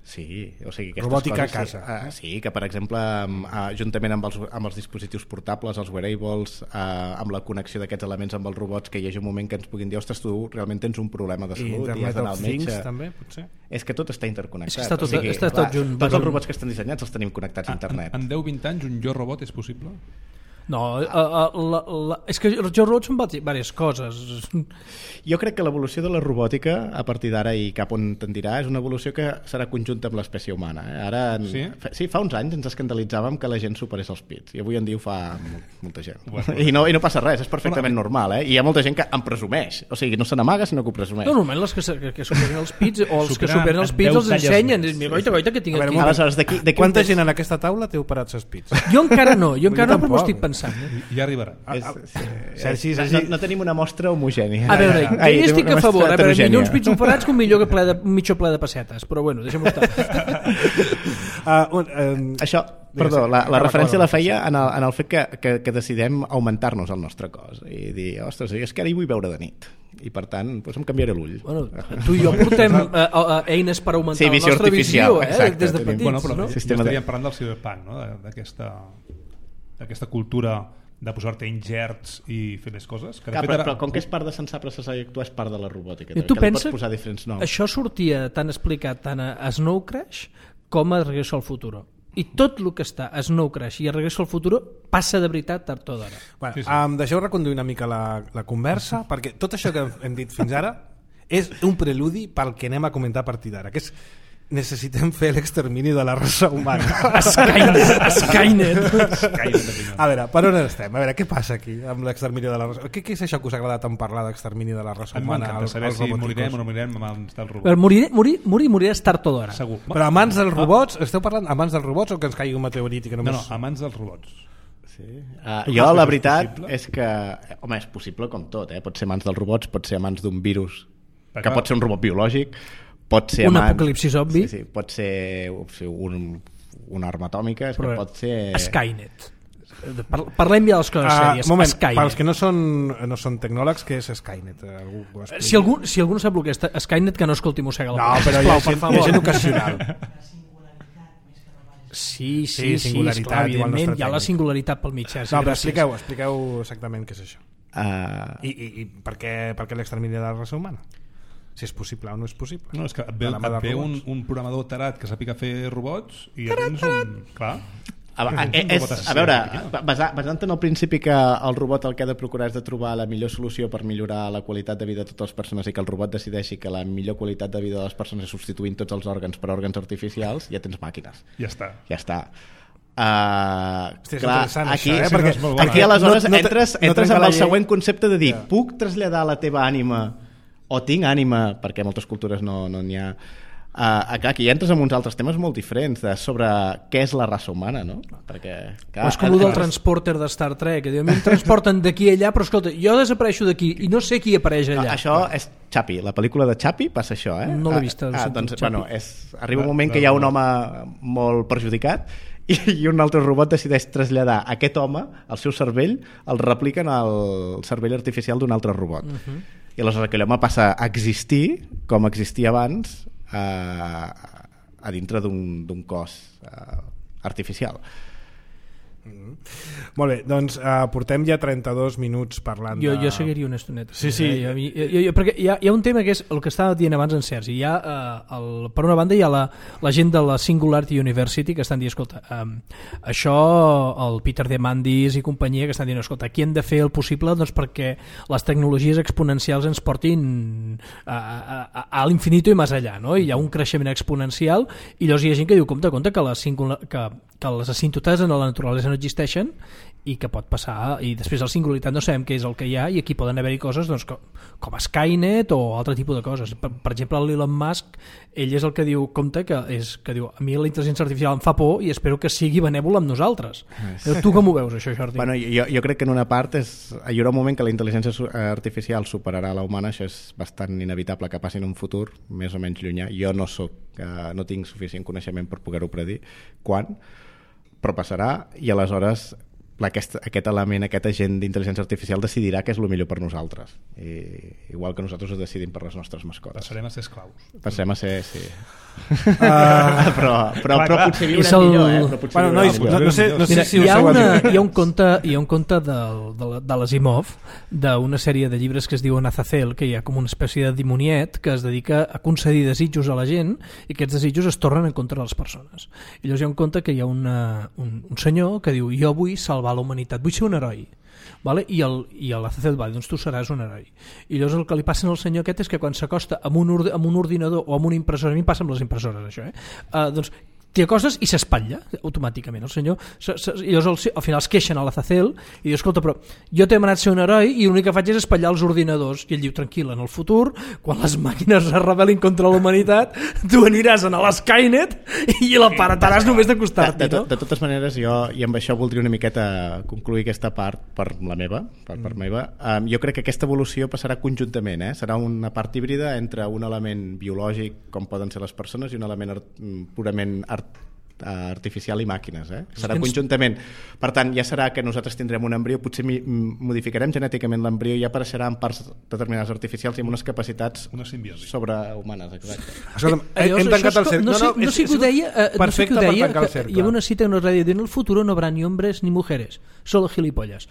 Sí, o sigui, aquestes Robòtica coses, a casa. Sí, uh, sí, que per exemple, uh, juntament amb els, amb els dispositius portables, els wearables, uh, amb la connexió d'aquests elements amb els robots, que hi hagi un moment que ens puguin dir, ostres, tu realment tens un problema de I salut i has Internet d'anar of al Things metge. també, potser? És que tot està interconnectat. És que està tot- o sigui, està tot junt. Tots els robots que estan dissenyats els tenim connectats a internet. En deu vint anys un jo robot és possible? No, uh, uh, la, la, és que els jo robots són diverses coses. Jo crec que l'evolució de la robòtica a partir d'ara i cap on tendirà és una evolució que serà conjunta amb l'espècie humana. Eh? Ara, Sí? fa, sí, fa uns anys ens escandalitzàvem que la gent superés els pits i avui en dia ho fa molt, molta gent. I no, I no passa res, és perfectament Bueno, normal. Eh? I hi ha molta gent que en presumeix, o sigui, no se n'amaga sinó que ho presumeix. No, normalment els que, se- que, que superen els pits o els que Superen superen els en pits deu els talles ensenyen. més. Mira, goita, goita, que tinc A veure, aquí. un moment. Aleshores, d'aquí... d'aquí un Quanta temps- gent en aquesta taula té operats els pits? Jo encara no, jo encara no, però m'ho tampoc. estic pensant. Eh? Ja arribarà. És, sí, Sergi, no, Sergi. no, no tenim una mostra homogènia. A veure, jo Ai, hi estic una a favor, mostra a veure, millor heterogènia. uns pits operats que un millor que ple de, un mitjó ple de pessetes, però bueno, deixem-ho estar. Uh, un, um, Això, perdó, la, la referència la feia en el, en el fet que, que, que decidem augmentar-nos el nostre cos i dir, ostres, és que ara hi vull veure de nit i per tant doncs em canviaré l'ull. Bueno, tu i jo portem uh, uh, eines per augmentar Sí, la visió nostra artificial, visió, eh? exacte, des de tenim- petits, Bueno, però no? Sistema de- estaríem parlant del cyberpunk, no? De- d'aquesta aquesta cultura de posar-te ingerts i fer les coses. Que de Clar, fet, però, ara... però com que és part de Sensar Processar i Actuar, és part de la robòtica. I tu que li pensa pots posar diferents noms. això sortia tan explicat tant a Snow Crash com a Regreso al Futuro. I tot el que està a Snow Crash i a Regreso al Futuro passa de veritat tard o d'ara. Bueno, Sí, sí. Um, deixeu reconduir una mica la, la conversa, perquè tot això que hem dit fins ara és un preludi pel que anem a comentar a partir d'ara, que és necessitem fer l'extermini de la raça humana. Skynet, Skynet. A veure, per on estem? A veure, què passa aquí amb l'extermini de la raça? Què, què és això que us agrada tant parlar d'extermini de la raça A mi humana? m'encanta als- saber als si robòticos? morirem o no morirem abans del Però robot. morir, morir, morir, moriràs tard o d'ara. Segur. Però a mans dels robots, esteu parlant a mans dels robots o que ens caigui un meteorit i que No, només... no, a mans dels robots. Sí. Uh, Tu jo, creus la que és veritat, possible? és que... Home, és possible com tot, eh? Pot ser a mans dels robots, pot ser a mans d'un virus, Perquè, que pot ser un robot biològic, pot ser a Un mans... apocalipsi zombi. Sí, sí, pot ser un, una arma atòmica, és Però que pot ser... Skynet. Par- Parlem ja de les coses Ah, sèries. moment, Skynet. pels que no són, no són tecnòlegs, què és Skynet? Algú ho explica? Si algú, si algú no sap el que és Skynet, que no escolti Mossega la No, Polla, però hi ha, sisplau, per gent, hi favor. ha gent ocasional. Sí, sí, Sí, sí, singularitat, esclar, igual no evidentment, està hi ha la tècnic. singularitat pel mig. Eh? Sí, No, però gràcies. expliqueu, expliqueu exactament què és això. Uh, I, i, i per què, per què l'extermini de la raça humana? Si és possible o no és possible. No, és que et ve, De la mà et dels ve un, robots. un programador tarat que sàpiga fer robots i ja tens un... Clar. A, a, Un és, robot a assassí, veure, no? basa, basant en el principi que el robot el que ha de procurar és de trobar la millor solució per millorar la qualitat de vida de totes les persones i que el robot decideixi que la millor qualitat de vida de les persones és substituint tots els òrgans per òrgans artificials, ja tens màquines. Ja està. Ja està. Uh, Hòstia, és clar, interessant, aquí, això, eh? perquè, és molt bona. aquí aleshores No- no te- entres, no entres trenca amb la el llei. següent concepte de dir, yeah. puc traslladar la teva ànima o tinc ànima, perquè a moltes cultures no no n'hi ha. Uh, aquí entres en uns altres temes molt diferents de sobre què és la raça humana, no? Perquè, clar, O és com el del transporter de Star Trek, que diu, a mi em transporten d'aquí a allà, però escolta, jo desapareixo d'aquí i no sé qui apareix No, allà. això és Chappie, la pel·lícula de Chappie passa això, eh? No l'he vista, Ah, ho ah, sento, doncs, Chappie. bueno, és, arriba un moment que hi ha un home molt perjudicat i, i un altre robot decideix traslladar aquest home, el seu cervell, el repliquen al cervell artificial d'un altre robot. Uh -huh. I aleshores aquell home passa a existir com existia abans a, a dintre d'un cos uh, artificial. Molt bé, doncs uh, portem ja trenta-dos minuts parlant Jo, de... jo seguiria una estoneta. Sí, sí. Eh? Jo, jo, jo, perquè hi ha, hi ha un tema que és el que estava dient abans en Sergi. Hi ha, eh, el, per una banda hi ha la, la gent de la Singularity University que estan dient, escolta, um, això el Peter Diamandis i companyia que estan dient, escolta, aquí hem de fer el possible doncs, perquè les tecnologies exponencials ens portin a, a, a, a l'infinito i més allà, no? I hi ha un creixement exponencial i llavors hi ha gent que diu, compte, compte que, la singular, que, que les asímptotes en la naturalesa no existeixen i que pot passar, i després la singularitat no sabem què és el que hi ha, i aquí poden haver-hi coses doncs, com, com Skynet o altre tipus de coses. Per, per exemple, l'Elon Musk, ell és el que diu, compte, que, és, que diu, a mi la intel·ligència artificial em fa por i espero que sigui benèvola amb nosaltres. Sí. Tu com ho veus, això, Jordi? Bueno, jo, jo crec que en una part és, hi haurà un moment que la intel·ligència artificial superarà la humana, això és bastant inevitable que passi en un futur més o menys llunyà. Jo no soc, eh, no tinc suficient coneixement per poder-ho predir quan, però passarà i aleshores aquest, aquest element, aquest agent d'intel·ligència artificial decidirà què és el millor per nosaltres. I, igual que nosaltres ho decidim per les nostres mascotes. Passarem a ser esclaus. Passarem a ser, sí. Uh, però, però, però potser És viurem el- millor, eh? Però potser bueno, viurem nois, millor. no, no sé, no sé Mira, si hi, us ha heu una, adonat. hi ha un conte, hi ha un conte del, de, de l'Asimov, d'una sèrie de llibres que es diuen Azazel, que hi ha com una espècie de dimoniet que es dedica a concedir desitjos a la gent i aquests desitjos es tornen en contra de les persones. I llavors hi ha un conte que hi ha una, un, un senyor que diu, jo vull salvar la humanitat, vull ser un heroi. Vale? I el, i l'Azazel va dir, doncs tu seràs un heroi. I llavors el que li passa al senyor aquest és que quan s'acosta amb, un orde, amb un ordinador o amb una impressora, a mi em passa amb les impressores això, eh? Uh, doncs t'hi acostes i s'espatlla automàticament el senyor. Se, se, i llavors al, al final es queixen a l'Azazel i diu, escolta, però jo t'he demanat ser un heroi i l'únic que faig és espatllar els ordinadors. I ell diu, tranquil, en el futur, quan les màquines es rebel·lin contra la humanitat, tu aniràs a l'Skynet i l'aparataràs només De, d'acostar-t'hi, de, no? de totes maneres, jo, i amb això voldria una miqueta concluir aquesta part per la meva, per, per meva. Um, jo crec que aquesta evolució passarà conjuntament, eh? Serà una part híbrida entre un element biològic, com poden ser les persones, i un element art, purament art, artificial i màquines, eh? Serà conjuntament. Per tant, ja serà que nosaltres tindrem un embrió, potser modificarem genèticament l'embrió i ja apareixerà en parts determinades artificials i amb unes capacitats sobrehumanes, exacte. Escolta'm, hem tancat el cercle. No sé, no sé què ho deia, no sé què ho deia, que hi ha una cita en una ràdio dient: el futuro no habrá ni hombres ni mujeres, solo gilipollas.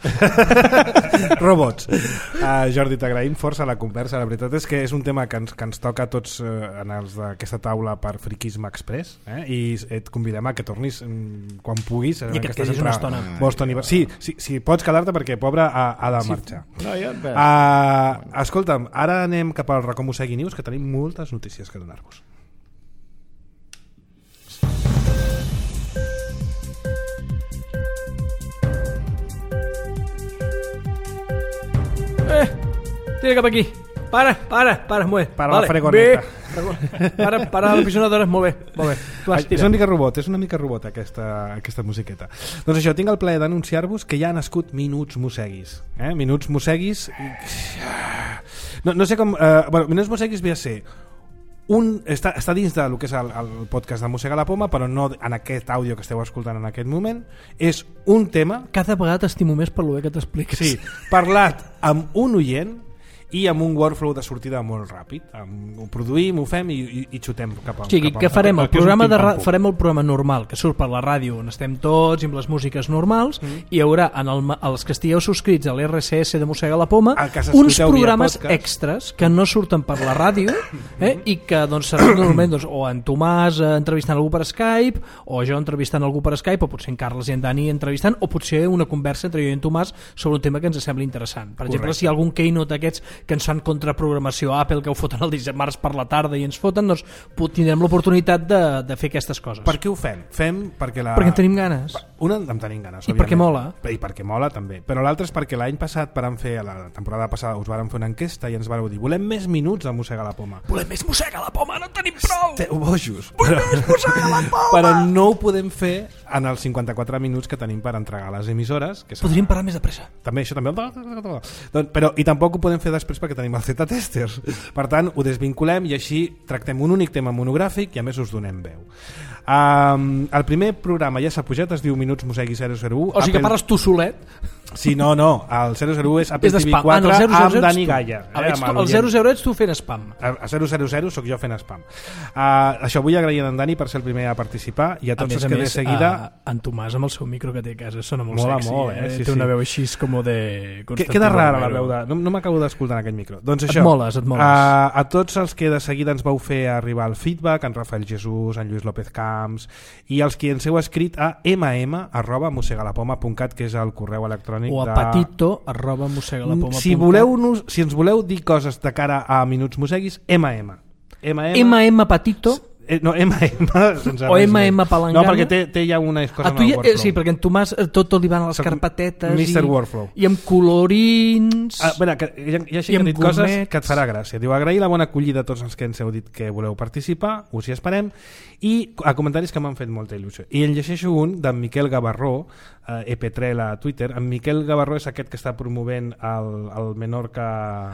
Robots. Uh, Jordi, t'agraïm força la conversa. La veritat és que és un tema que ens, que ens toca a tots uh, en els d'aquesta taula per Friquisme Express, eh? I et convidem a que tornis um, quan puguis. I que et quedis una estona. Boston i... Sí, sí, sí, pots quedar-te perquè pobre ha, ha de marxar. Sí. No, ja uh, escolta'm, ara anem cap al Racó Mossegui News, que tenim moltes notícies que donar-vos. Eh, tira cap aquí. Para, para, para, molt bé. Para vale. La fregoneta. Bé. Para, para la pisonadora, molt bé. Molt bé. Vas, és una mica robot, és una mica robot aquesta, aquesta musiqueta. Doncs això, tinc el plaer d'anunciar-vos que ja ha nascut Minuts Mosseguis. Eh? Minuts Mosseguis... No, no sé com... Eh, bueno, Minuts Mosseguis ve a ser... Un, està, està dins del que és el, el podcast de Mossega la Poma, però no en aquest àudio que esteu escoltant en aquest moment. És un tema... Cada vegada t'estimo més per lo bé que t'expliques. Sí, parlat amb un oient i amb un workflow de sortida molt ràpid. Ho produïm, ho fem i, i, i xutem cap a... O sigui, què farem? El programa de ra- farem el programa normal, que surt per la ràdio, on estem tots, i amb les músiques normals, mm. i hi haurà, en el, els que estigueu subscrits a l'R S S de Mossega la Poma, uns programes extras que no surten per la ràdio, eh, i que doncs, seran normalment doncs, o en Tomàs eh, entrevistant algú per Skype, o jo entrevistant algú per Skype, o potser en Carles i en Dani entrevistant, o potser una conversa entre jo i en Tomàs sobre un tema que ens sembla interessant. Per Correcte. Exemple, si hi ha algun keynote d'aquests que ens fan contraprogramació Apple, que ho foten el dimarts per la tarda i ens foten, doncs tindrem l'oportunitat de, de fer aquestes coses. Per què ho fem? Fem perquè la... Perquè en tenim ganes. Una, en tenim ganes, I perquè mola. I perquè mola, també. Però l'altre és perquè l'any passat, per fer, a la temporada passada, us vàrem fer una enquesta i ens vareu dir: volem més minuts a Mossega la Poma. Volem més Mossega la Poma, no en tenim prou! Esteu bojos. Volem més Mossega la Poma! Però no ho podem fer en els cinquanta-quatre minuts que tenim per entregar a les emissores. Que podríem parar més de pressa. També, això també. Doncs, però, i tampoc ho podem fer després perquè tenim els Z-testers. Per tant, ho desvinculem i així tractem un únic tema monogràfic i a més us donem veu. Um, el primer programa ja s'ha pujat, es diu Minuts Mossegui zero zero u. O sigui Apple... que parles tu solet? Sí, no, no, el zero zero u és Apple T V quatre ah, no, amb Dani Gaia. Eh, tu, el zero zero ets tu fent spam. El zero zero zero sóc jo fent spam. Uh, això vull agrair a en Dani per ser el primer a participar i a tots a els que més, de seguida... Uh, en Tomàs amb el seu micro que té a casa sona molt Mola sexy. Molt, eh? eh? Sí, té una sí. veu així com de... Queda rara la veu de... No, no m'acabo d'escoltar en aquell micro. Doncs això, et moles, et moles. Uh, a tots els que de seguida ens vau fer arribar el feedback, en Rafael Jesús, en Lluís López Camps, i els que ens heu escrit a mm arroba mossegalapoma punt cat, que és el correu electrònic o a de... patito arroba mossegalapoma punt cat. Si, voleu, si ens voleu dir coses de cara a Minuts Mosseguis, mm. mm patito... Eh, no, M M sense o M M palangana. No, perquè té, té ja una cosa en el ja, workflow. Sí, perquè en Tomàs tot, tot li van a les carpetetes mister i, Workflow. I amb colorins ah, bueno, que, hi ha, hi ha, hi ha dit coses que et farà gràcia. Diu, agrair la bona acollida a tots els que ens heu dit que voleu participar, us hi esperem, i a comentaris que m'han fet molta il·lusió. I en llegeixo un d'en Miquel Gavarró, eh, E P tres a Twitter. En Miquel Gavarró és aquest que està promovent el, el Menorca,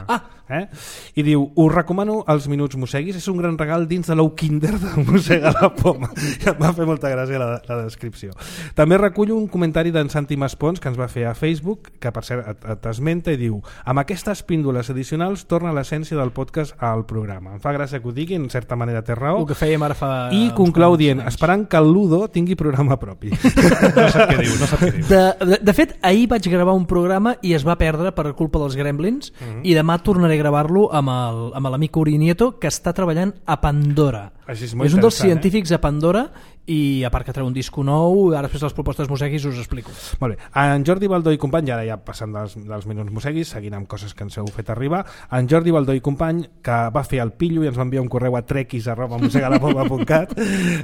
ah. eh? I diu, us recomano els Minuts Mosseguis, és un gran regal dins de l'ou Kinder de Mossega la Poma. Em va fer molta gràcia la, la descripció. També recullo un comentari d'en Santi Maspons que ens va fer a Facebook, que per cert t'esmenta i diu: amb aquestes píndoles addicionals torna l'essència del podcast al programa. Em fa gràcia que ho digui, en certa manera té raó. El que fèiem ara fa... I conclou dient, esperant que el Ludo tingui programa propi. No sap què diu, no sap què diu. De, de, de fet, ahir vaig gravar un programa i es va perdre per culpa dels Gremlins, mm-hmm. i demà tornaré a gravar-lo amb el, amb l'amic Uri Nieto, que està treballant a Pandora. Així és, és un dels científics eh? a Pandora, i a part que treu un disco nou, ara després de les propostes Mosseguis us explico. Molt bé, en Jordi Baldó i company, ara ja passant dels, dels Minuts Mosseguis, seguint amb coses que ens heu fet arribar, en Jordi Baldó i company, que va fer el pillo i ens va enviar un correu a trequis arroba mossegalapoma punt cat,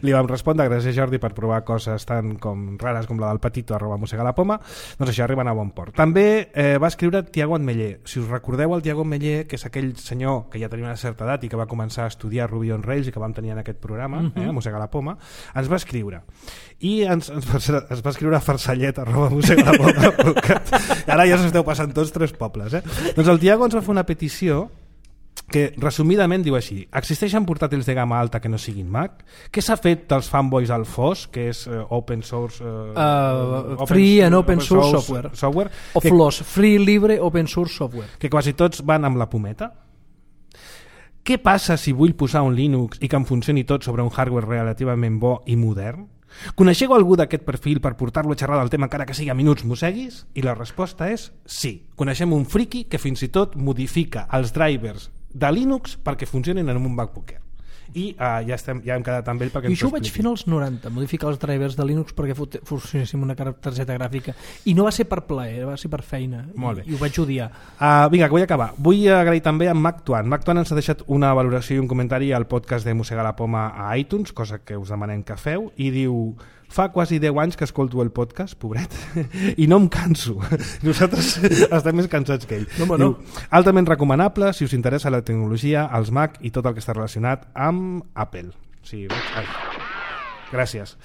li vam respondre: gràcies Jordi per provar coses tan com rares com la del Patito arroba mossegalapoma. Doncs això, arriben a bon port. També eh, va escriure Tiago Ametller. Si us recordeu el Tiago Ametller, que és aquell senyor que ja tenia una certa edat i que va començar a estudiar Ruby on Rails i que vam tenir en aquest programa, mm-hmm. eh, Mossega la Poma, ens va escriure i ens, ens, va, ens va escriure a farsallet arroba mossegalapoma punt cat. Ara ja s'esteu passant tots tres pobles, eh? Doncs el Tiago ens va fer una petició que resumidament diu així: existeixen portàtils de gamma alta que no siguin Mac? Què s'ha fet dels fanboys al F O S, que és uh, open source uh, uh, open, free and open, open source, source software, software o F L O S, free, libre, open source software, que quasi tots van amb la pometa? Què passa si vull posar un Linux i que em funcioni tot sobre un hardware relativament bo i modern? Coneixeu algú d'aquest perfil per portar-lo a xerrar del tema encara que sigui a minuts mosseguis? I la resposta és sí. Coneixem un friki que fins i tot modifica els drivers de Linux perquè funcionin en un MacBook Air. I uh, ja, estem, ja hem quedat amb ell perquè I això ho vaig fer als noranta, modificar els drivers de Linux perquè funcionéssim una targeta gràfica, i no va ser per plaer, va ser per feina. Molt bé. I, i ho vaig odiar. Uh, vinga, que vull acabar. Vull agrair també a MacTuan. MacTuan ens ha deixat una valoració i un comentari al podcast de Mossegar la Poma a iTunes, cosa que us demanem que feu, i diu: fa quasi deu anys que escolto el podcast, pobret, i no em canso. Nosaltres estem més cansats que ell. No, Diu, no. altament recomanable si us interessa la tecnologia, els Mac i tot el que està relacionat amb Apple. Sí, ai. Gràcies.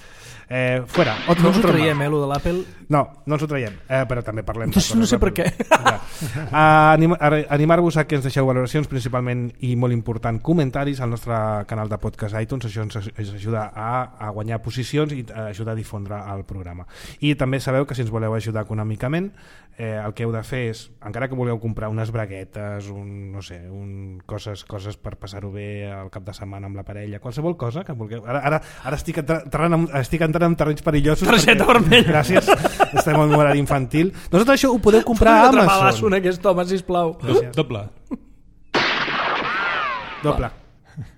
Eh, fuera. Otro, no ens ho traiem, eh, lo de l'Apple? No, no ens ho traiem, eh, però també parlem... No, no sé per què. Ja. Uh, anim, animar-vos a que ens deixeu valoracions, principalment i molt important, comentaris al nostre canal de podcast iTunes. Això ens, ens ajuda a, a guanyar posicions i a ajuda a difondre el programa. I també sabeu que si ens voleu ajudar econòmicament, eh, el que heu de fer és, encara que voleu comprar unes braguetes, un, no sé, un, coses, coses per passar-ho bé al cap de setmana amb la parella, qualsevol cosa que vulgueu. Ara, ara, ara estic, entrant, estic entrant en terrenys perillosos. Targeta vermella. Gràcies. Estem en un horari infantil. Doncs tot això ho podeu comprar a Amazon. Trapalasso en aquest home, sisplau. Gràcies. Doble. Doble.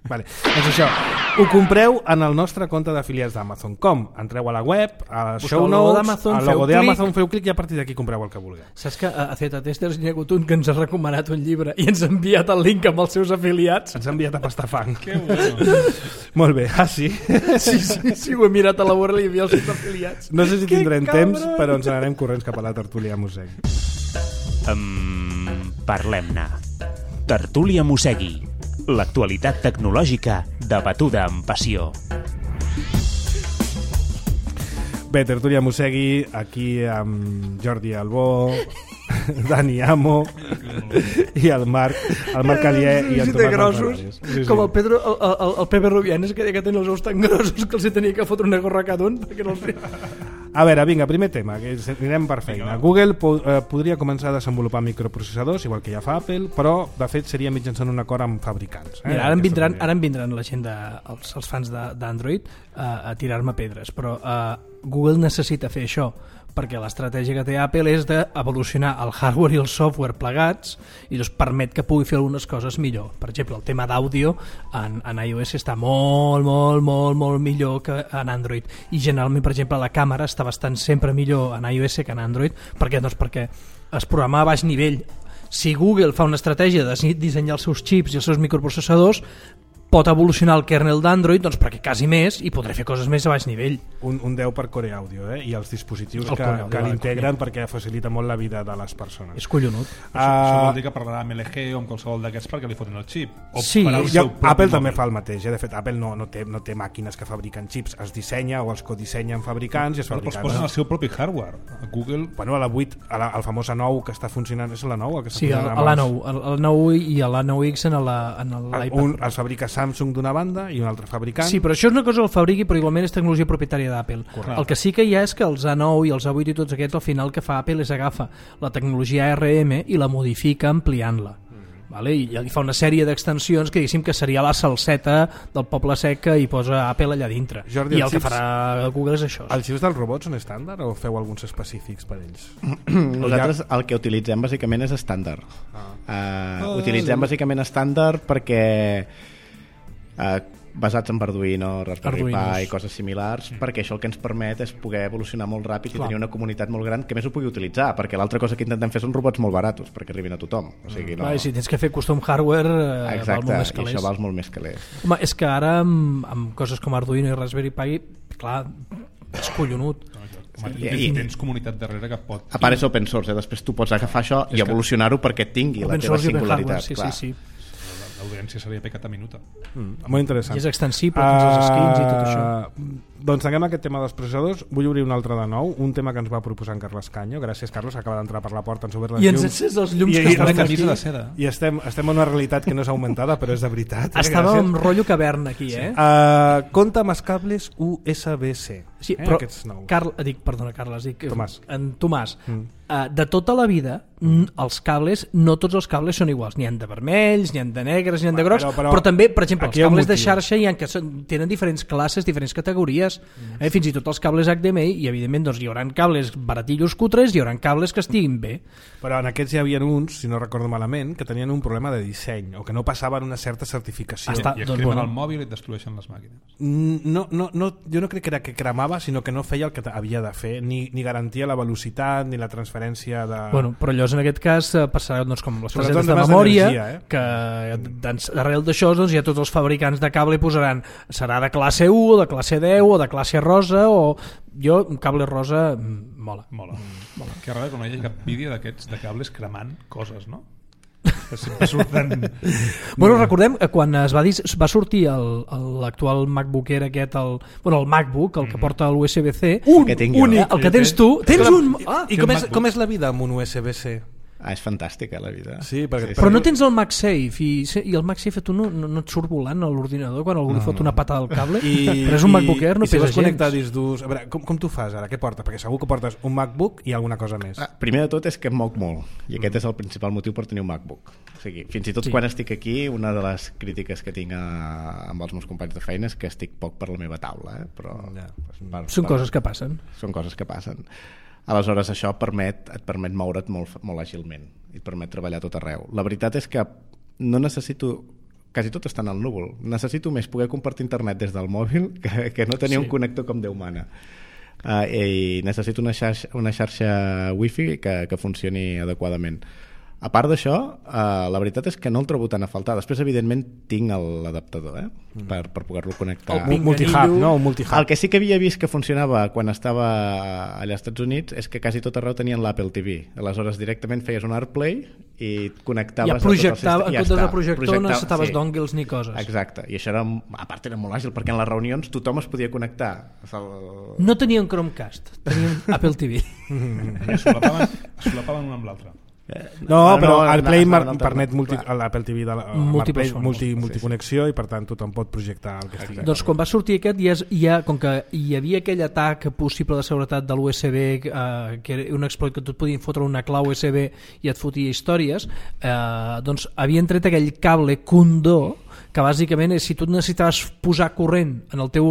Vale. Doncs això, ho compreu en el nostre compte d'afiliats d'Amazon. Com? Entreu a la web, a show notes, al logo d'Amazon, feu clic i a partir d'aquí compreu el que vulgueu. Saps que a Z Testers n'hi ha hagut un que ens ha recomanat un llibre i ens ha enviat el link amb els seus afiliats? Ens ha enviat a pastar fang. Que bueno. Molt bé, ah sí? Sí, sí, sí, ho he mirat a la vora i hi havia els seus afiliats. No sé si que tindrem cabron. temps, però ens anarem corrents cap a la tertúlia mossegui. Um, Parlem-ne. Tertúlia Mossegui. L'actualitat tecnològica debatuda amb passió. Bé, tertúlia mossegui, aquí amb Jordi Albó, Dani Amo i el Marc, el Marc Alié i el Tomàs grossos, sí, sí. Com el Pedro, el, el, el Pepe Rubianes, que, que tenen els ous tan grossos que els tenia que fotre una gorra cada un perquè no els... A veure, vinga, primer tema, que anirem per feina. Google po eh, podria començar a desenvolupar microprocessadors, igual que ja fa Apple, però de fet seria mitjançant un acord amb fabricants. Eh? Mira, ara, em vindran, ara em vindran la gent, de, els, els fans d'Android, eh, a tirar-me pedres, però eh, Google necessita fer això, perquè l'estratègia que té Apple és d'evolucionar el hardware i el software plegats i doncs permet que pugui fer algunes coses millor. Per exemple, el tema d'àudio en, en iOS està molt, molt, molt, molt millor que en Android, i generalment, per exemple, la càmera està bastant sempre millor en iOS que en Android. Per què? Doncs perquè es programa a baix nivell. Si Google fa una estratègia de dissenyar els seus xips i els seus microprocessadors, pot evolucionar el kernel d'Android, doncs perquè quasi més i podré fer coses més a baix nivell. Un, un deu per Core Audio, eh? I els dispositius el que, Core que Audio, l'integren perquè facilita molt la vida de les persones. És collonut. Uh, Això, això vol dir que parlarà amb L G o amb qualsevol d'aquests perquè li fotin el xip. O sí, farà el ja, seu propi Apple mòbil. també fa el mateix, eh? De fet Apple no, no, té, no té màquines que fabriquen xips, es dissenya o els codissenyen fabricants i es Però es fabriquen. posen el seu propi hardware. A Google... Bueno, a la vuit, a la, el famós A nou que està funcionant, és la nou? El que està Sí, funcionant a l'A nou, abans? el, el nou i l'A nou X en l'iPad. Un els fabrica Samsung d'una banda i un altre fabricant. Sí, però això és una cosa que el fabriqui, però igualment és tecnologia propietària d'Apple. El que sí que hi ha és que els A nou i els A vuit i tots aquests, al final el que fa Apple és agafa la tecnologia A R M i la modifica ampliant-la. Vale? I, i fa una sèrie d'extensions que diguéssim que seria la salseta del poble sec que hi posa Apple allà dintre. Jordi, I el els que xips- farà Google és això. Els xips dels robots són estàndard o feu alguns específics per ells? Nosaltres el que utilitzem bàsicament és estàndard. Ah. Uh, Oh, utilitzem sí. bàsicament estàndard perquè uh, basats en Arduino, Raspberry Arduinos. Pi i coses similars, mm. perquè això el que ens permet és poder evolucionar molt ràpid Clar. i tenir una comunitat molt gran que més ho pugui utilitzar, perquè l'altra cosa que intentem fer són robots molt baratos perquè arribin a tothom. O sigui, no... Clar, i si tens que fer custom hardware, eh, Exacte, val molt més i calés. això val molt més calés. Home, és que ara amb, amb coses com Arduino i Raspberry Pi, clar, és collonut. Home, I- i, i- tens comunitat darrere que pot... A part és open source, eh? Després tu pots agafar això És i que- evolucionar-ho perquè tingui la Open teva source i open singularitat. hardware, sí, clar. sí, sí. l'audiència seria pecat a minuta. Mm, molt interessant. I és extensible, uh, els skins i tot això. Doncs tanquem aquest tema dels processadors. Vull obrir un altre de nou, un tema que ens va proposar en Carles Canyo. Gràcies, Carles, acaba d'entrar per la porta, ens ha obert les I llums. ens encès els llums I, que i, estan estem, aquí. De seda. I estem, estem en una realitat que no és augmentada, però és de veritat. Eh? Estava amb rotllo caverna aquí, eh? Uh, compta amb els cables U S B C. Sí, eh? però Aquests nous. Carl, dic, perdona, Carles, dic, Tomàs. En Tomàs, Mm. uh, de tota la vida, mm. els cables, no tots els cables són iguals. N'hi ha de vermells, n'hi ha de negres, n'hi ha de Però- grocs, però- però, però també, per exemple, els aquí hi ha un cables de motiu. xarxa hi ha que són, tenen diferents classes, diferents categories, mm. eh? Fins i tot els cables H D M I, i evidentment doncs, hi haurà cables baratillos cutres, hi haurà cables que estiguin bé. Però en aquests hi havia uns, si no recordo malament, que tenien un problema de disseny o que no passaven una certa certificació. Està- I et doncs, cremen bueno. el mòbil i et destrueixen les màquines. Mm, No, no, no, jo no crec que era que cremava, sinó que no feia el que havia de fer, ni, ni garantia la velocitat ni la transferència de... Bueno, però allò en aquest cas eh, passarà doncs, com les Sobretot targetes de temes memòria, d'energia, eh? que doncs, darrere d'això doncs, ja tots els fabricants de cable posaran serà de classe u, o de classe deu, o de classe rosa, o jo, un cable rosa mm, mola. Mola. Mola. Que raro que no hi hagi cap vídeo d'aquests de cables cremant coses, no? Que sempre surten... Bueno, recordem que quan es va, dir, va sortir el- el- l'actual MacBook Air aquest, el, bueno, el MacBook, el que porta l'U S B C, Un, que tinc jo. únic, el que tens tu, tens un... Ah, I com és, com és la vida amb un U S B C? Ah, és fantàstica la vida. Sí, perquè... Sí, però no tens el MagSafe i, i el MagSafe tu no, no, no et surt volant a l'ordinador quan algú li fot una patada al cable, I, però és un MacBook Air, no i si pesa vols connectar gens. discs durs... A veure, com, com tu fas ara? Què portes? Perquè segur que portes un MacBook i alguna cosa més. Ah, primer de tot és que em moc molt i aquest és el principal motiu per tenir un MacBook. O sigui, fins i tot Sí. sí. quan estic aquí, una de les crítiques que tinc a, amb els meus companys de feina és que estic poc per la meva taula, eh? Però Ja, per, Són per, coses que passen. són coses que passen. Aleshores això permet, et permet moure't molt, molt àgilment i et permet treballar tot arreu. La veritat és que no necessito, quasi tot està en el núvol, necessito més poder compartir internet des del mòbil que, que no tenir Sí. un connector com Déu mana. Uh, i necessito una xarxa, una xarxa wifi que, que funcioni adequadament. A part d'això, uh, la veritat és que no el trobo tan a faltar. Després, evidentment, tinc el- l'adaptador eh? mm. per, per poder-lo connectar. El Un multihub, no? Un multihub. El que sí que havia vist que funcionava quan estava allà als Estats Units és que quasi tot arreu tenien l'Apple T V. Aleshores, directament feies un AirPlay i et connectaves... Ja a tot el projectava, sistema i en comptes està. de projector no Projectava- necessitaves sí. dongles ni coses. Exacte, i això era, a part era molt àgil perquè en les reunions tothom es podia connectar. El... No tenien Chromecast, tenien Apple T V. I es solapaven, es solapaven un amb l'altre. No, però el Play no, mar- no, no, permet no, multi, clar. l'Apple T V de la, Múltiples Play, fonts. multi, Sí, sí. multiconnexió i per tant tothom pot projectar el que estigui. Doncs quan va sortir aquest, ja, és- ja, com que hi havia aquell atac possible de seguretat de l'U S B, eh, que era un exploit que tu et podien fotre una clau U S B i et fotia històries, eh, doncs havien tret aquell cable Condor, que bàsicament és, si tu necessitaves posar corrent en el teu,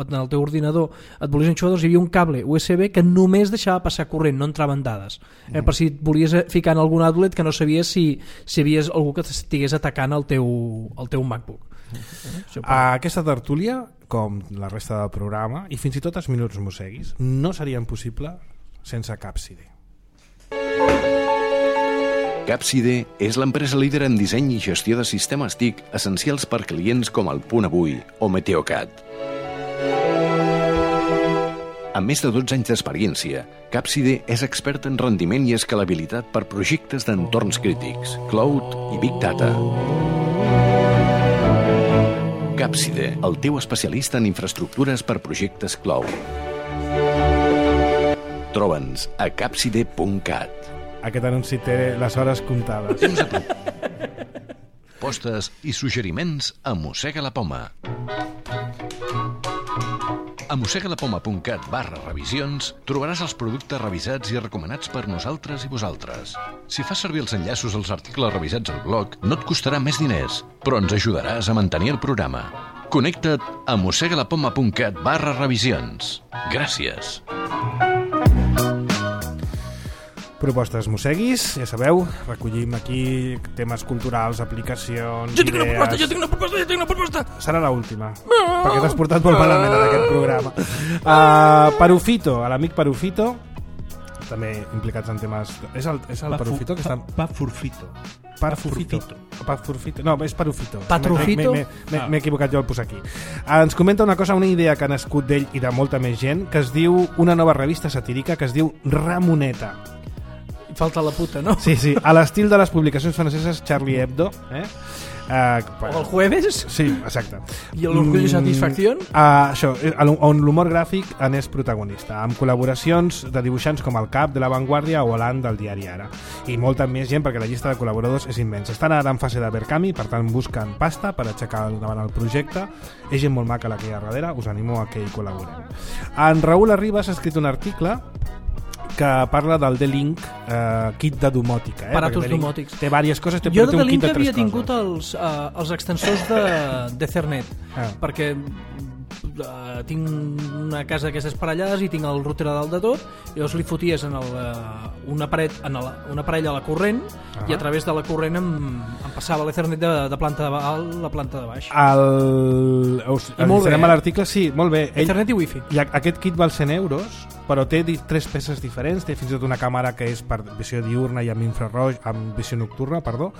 en el teu ordinador, et volies enxufar, doncs hi havia un cable U S B que només deixava passar corrent, no entraven dades. Eh, per si et volies ficar en algun outlet que no sabies si, si havies algú que estigués atacant el teu, el teu MacBook. Això per- A aquesta tertúlia, com la resta del programa, i fins i tot els minuts mosseguis, no serien possible sense Capside. Capside és l'empresa líder en disseny i gestió de sistemes T I C essencials per clients com el Punt Avui o Meteocat. Amb més de dotze anys d'experiència, Capside és expert en rendiment i escalabilitat per projectes d'entorns crítics, cloud i big data. Capside, el teu especialista en infraestructures per projectes cloud. Troba'ns a capside punt cat. Aquest anunci té les hores comptades. Temps a tu. Postes i suggeriments a Mossega la Poma. A mossegalapoma punt cat barra revisions trobaràs els productes revisats i recomanats per nosaltres i vosaltres. Si fas servir els enllaços als articles revisats al blog, no et costarà més diners, però ens ajudaràs a mantenir el programa. Connecta't a mossegalapoma punt cat barra revisions. Gràcies. Propostes mosseguis, ja sabeu, recollim aquí temes culturals, aplicacions, Jo tinc una idees... proposta, jo tinc una proposta, jo tinc una proposta! Serà l'última, perquè t'has portat molt malament en aquest programa. Uh, Perufito, a l'amic Perufito, també implicats en temes... És el, és el Perufito que està... Pa Furfito. Parfufito. Parfufito. No, és Perufito. Patrufito? M'he- m'he- M'he equivocat jo al posar aquí. Uh, ens comenta una cosa, una idea que ha nascut d'ell i de molta més gent, que es diu una nova revista satírica que es diu Ramoneta. Falta la puta, no? Sí, sí, a l'estil de les publicacions franceses Charlie Hebdo, eh? Uh, o el jueves. Sí, exacte. I l'orgull i satisfacció. Uh, això, on l'humor gràfic n'és protagonista, amb col·laboracions de dibuixants com el Cap de La Vanguardia o l'An del diari Ara. I molta més gent, perquè la llista de col·laboradors és immensa. Estan ara en fase de Verkami, per tant busquen pasta per aixecar davant el projecte. És gent molt maca la que hi ha darrere, us animo a que hi col·laborem. En Raül Arribas ha escrit un article que parla del D-Link eh, kit de domòtica. Eh? Aparatos domòtics. Té diverses coses, té, jo té de un kit D-Link de tres havia tingut coses. els, uh, els extensors de, d'Ethernet, ah. perquè uh, tinc una casa d'aquestes parellades i tinc el router a dalt de tot, i llavors li foties en el, uh, una, paret, en el, una parella a la corrent ah. i a través de la corrent em, em passava l'Ethernet de, de planta de dalt a la planta de baix. El... Us, molt bé, a l'article, sí, molt bé. Ell, Ethernet i wifi. I aquest kit val cent euros, però té tres peces diferents, té fins i tot una càmera que és per visió diurna i amb infraroig, amb visió nocturna, perdó.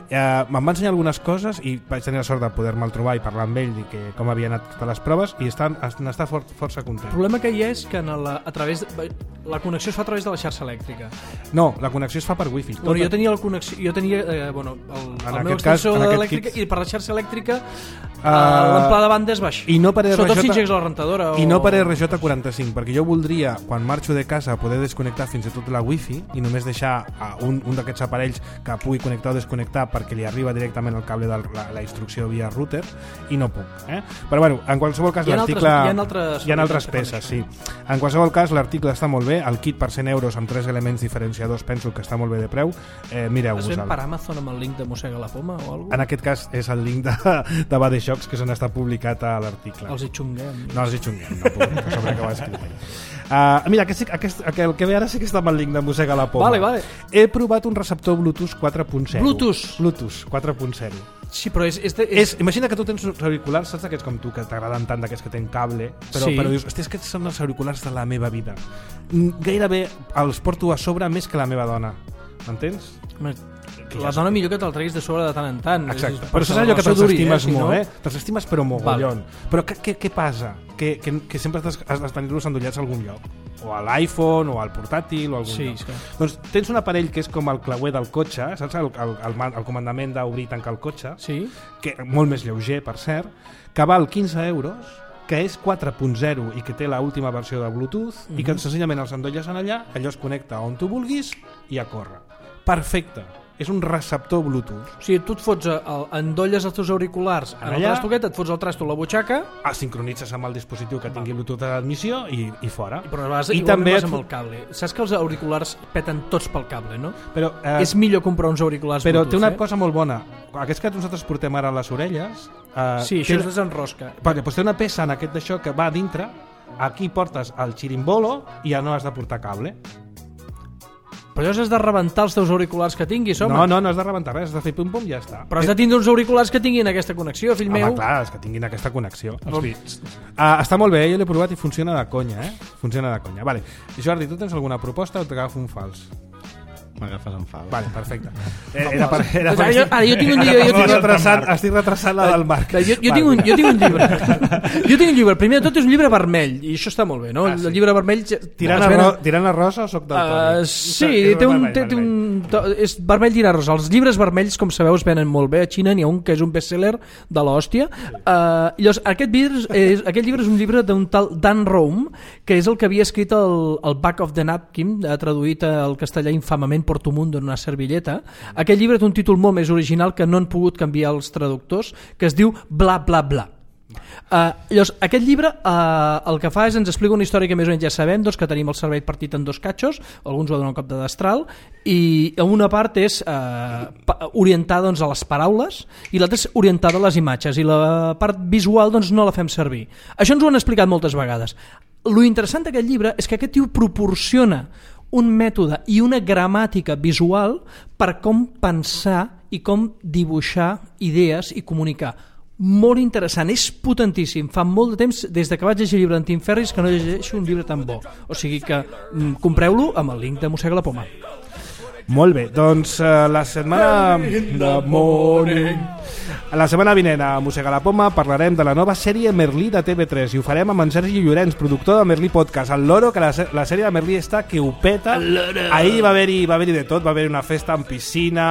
Eh, me'n va ensenyar algunes coses i vaig tenir la sort de poder-me'l trobar i parlar amb ell i que com havia anat totes les proves i estan, n'està for, força content. El problema que hi ha és que en la, a través de, la connexió es fa a través de la xarxa elèctrica. No, la connexió es fa per wifi. Bueno, jo tenia, la connexió, jo tenia eh, bueno, el, en el meu cas, extensor elèctrica kit... i per la xarxa elèctrica uh, l'amplada de banda és baix. I no per R J, sobretot si engegues la rentadora. O... I no per R J quaranta-cinc, perquè jo voldria, quan marxo de casa, poder desconnectar fins i tot la wifi i només deixar un, un d'aquests aparells que pugui connectar o desconnectar perquè li arriba directament el cable de la, la instrucció via router i no puc. Eh? Però bueno, en qualsevol cas l'article... Hi ha altres, hi ha altres peces, sí. En qualsevol cas l'article està molt bé, el kit per cent euros amb tres elements diferenciadors penso que està molt bé de preu. Eh, Mireu-vos-el. Es ven per Amazon amb el link de Mossega la Poma o alguna cosa? En aquest cas és el link de, de Bade Shocks que s'han estat publicat a l'article. Els hi xunguem. No, els hi xunguem, no puc, que sobre que ho ha escrit. Uh, mira, aquest, aquest, el que ve ara sí que està amb el link de Mossega la Poma. Vale, vale. He provat un receptor Bluetooth quatre punt zero. Bluetooth? Bluetooth quatre punt zero. Sí, però és... és, de, és... és imagina que tu tens uns auriculars, saps aquests com tu, que t'agraden tant, d'aquests que tenen cable, però, sí. però dius, hosti, és que són els auriculars de la meva vida. Gairebé els porto a sobre més que la meva dona. M'entens? La dona millor que te'l treguis de sobre de tant en tant. Exacte, és, però saps allò que te'ls estimes eh, si molt, no... eh? Te'ls estimes però mogollon. Vale. Però què, què, què passa? Que, que, que sempre has, has de tenir-los endollats a algun lloc. O a l'iPhone, o al portàtil, o a algun sí, lloc. Sí. Doncs tens un aparell que és com el clauer del cotxe, saps? El, el, el, el comandament d'obrir i tancar el cotxe, sí. que molt més lleuger, per cert, que val quinze euros, que és quatre punt zero i que té l'última versió de Bluetooth, mm-hmm. i que senzillament els endolles en allà, allò es connecta on tu vulguis i a córrer. Perfecte. És un receptor Bluetooth. O sigui, tu et fots, el, endolles els teus auriculars en, en el trastoquet, et fots el trasto a la butxaca, el sincronitzes amb el dispositiu que tingui Bluetooth a l'admissió i, i fora. I, però vas, I també vas amb el cable. Saps que els auriculars peten tots pel cable, no? Però, eh, és millor comprar uns auriculars però Bluetooth, té una eh? cosa molt bona. Aquests que nosaltres portem ara a les orelles... Eh, sí, això té, es desenrosca. Perquè doncs té una peça en aquest d'això que va a dintre, aquí portes el xirimbolo i ja no has de portar cable. Però llavors has de rebentar els teus auriculars que tinguis, home. No, no, no has de rebentar res, has de fer pum-pum i ja està. Però has de tindre uns auriculars que tinguin aquesta connexió, fill home, meu. Home, clar, els que tinguin aquesta connexió. Els bits. Uh, està molt bé, jo l'he provat i funciona de conya, eh? Funciona de conya. Vale. Jordi, tu tens alguna proposta o t'agafo un fals? M'agafes en fals. Vale, perfecte. Era, era per, era per... Ara, jo, ara jo tinc un llibre... Jo estic, tinc... retrasant, estic retrasant la del Marc. Jo, jo, tinc un, jo tinc un llibre. Jo tinc un llibre. Primer de tot és un llibre vermell, i això està molt bé, no? Ah, sí. El llibre vermell... Tirant a, ro tirant a rosa o soc del Toni? Uh, sí, té un, té, té un, és vermell tirant a rosa. Els llibres vermells, com sabeu, es venen molt bé a Xina. N'hi ha un que és un bestseller de l'hòstia. Uh, llavors, aquest, llibre és, aquest llibre és un llibre d'un tal Dan Rome, que és el que havia escrit el, el Back of the Napkin, traduït al castellà infamament Porto Mundo en una servilleta. Aquest llibre té un títol molt més original que no han pogut canviar els traductors, que es diu Bla Bla Bla. Uh, llavors, aquest llibre uh, el que fa és ens explica una història que més o menys ja sabem, doncs, que tenim el cervell partit en dos catxos, alguns va donar un cop de destral, i una part és uh, orientada doncs, a les paraules i l'altra és orientada a les imatges, i la part visual doncs, no la fem servir. Això ens ho han explicat moltes vegades. Lo interessant d'aquest llibre és que aquest tio proporciona un mètode i una gramàtica visual per com pensar i com dibuixar idees i comunicar. Molt interessant, és potentíssim. Fa molt de temps, des de que vaig llegir el llibre d'en Tim Ferriss, que no llegeixo un llibre tan bo. O sigui que mm, compreu-lo amb el link de Mossega la Poma. Molt bé, doncs uh, la setmana... In the morning La setmana vinent a Mossega la Poma parlarem de la nova sèrie Merlí de T V tres i ho farem amb en Sergi Llorenç, productor de Merlí Podcast, el loro, que la, la sèrie de Merlí està que ho peta. Ahir va haver-hi va haver de tot, va haver-hi una festa amb piscina,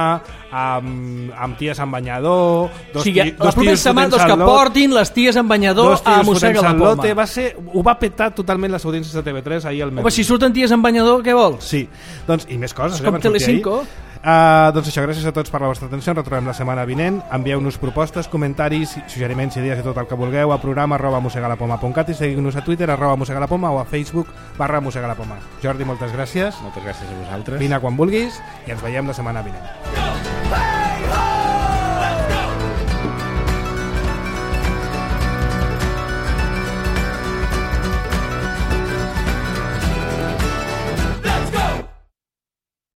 amb, amb ties en banyador, dos, o sigui, ti, dos la propera setmana doncs, que portin les ties en banyador a Mossega la Poma. Va ser, ho va petar totalment les audiències de T V tres ahir al Merlí. Home, si surten ties en banyador, què vols? Sí, doncs, i més coses. És com Telecinco. Uh, doncs això, gràcies a tots per la vostra atenció. Ens retrobem la setmana vinent. Envieu-nos propostes, comentaris, suggeriments, idees i tot el que vulgueu a programa arroba mossegalapoma punt cat i seguiu-nos a Twitter arroba mossegalapoma o a Facebook barra mossegalapoma. Jordi, moltes gràcies. Moltes gràcies a vosaltres. Vine quan vulguis i ens veiem la setmana vinent.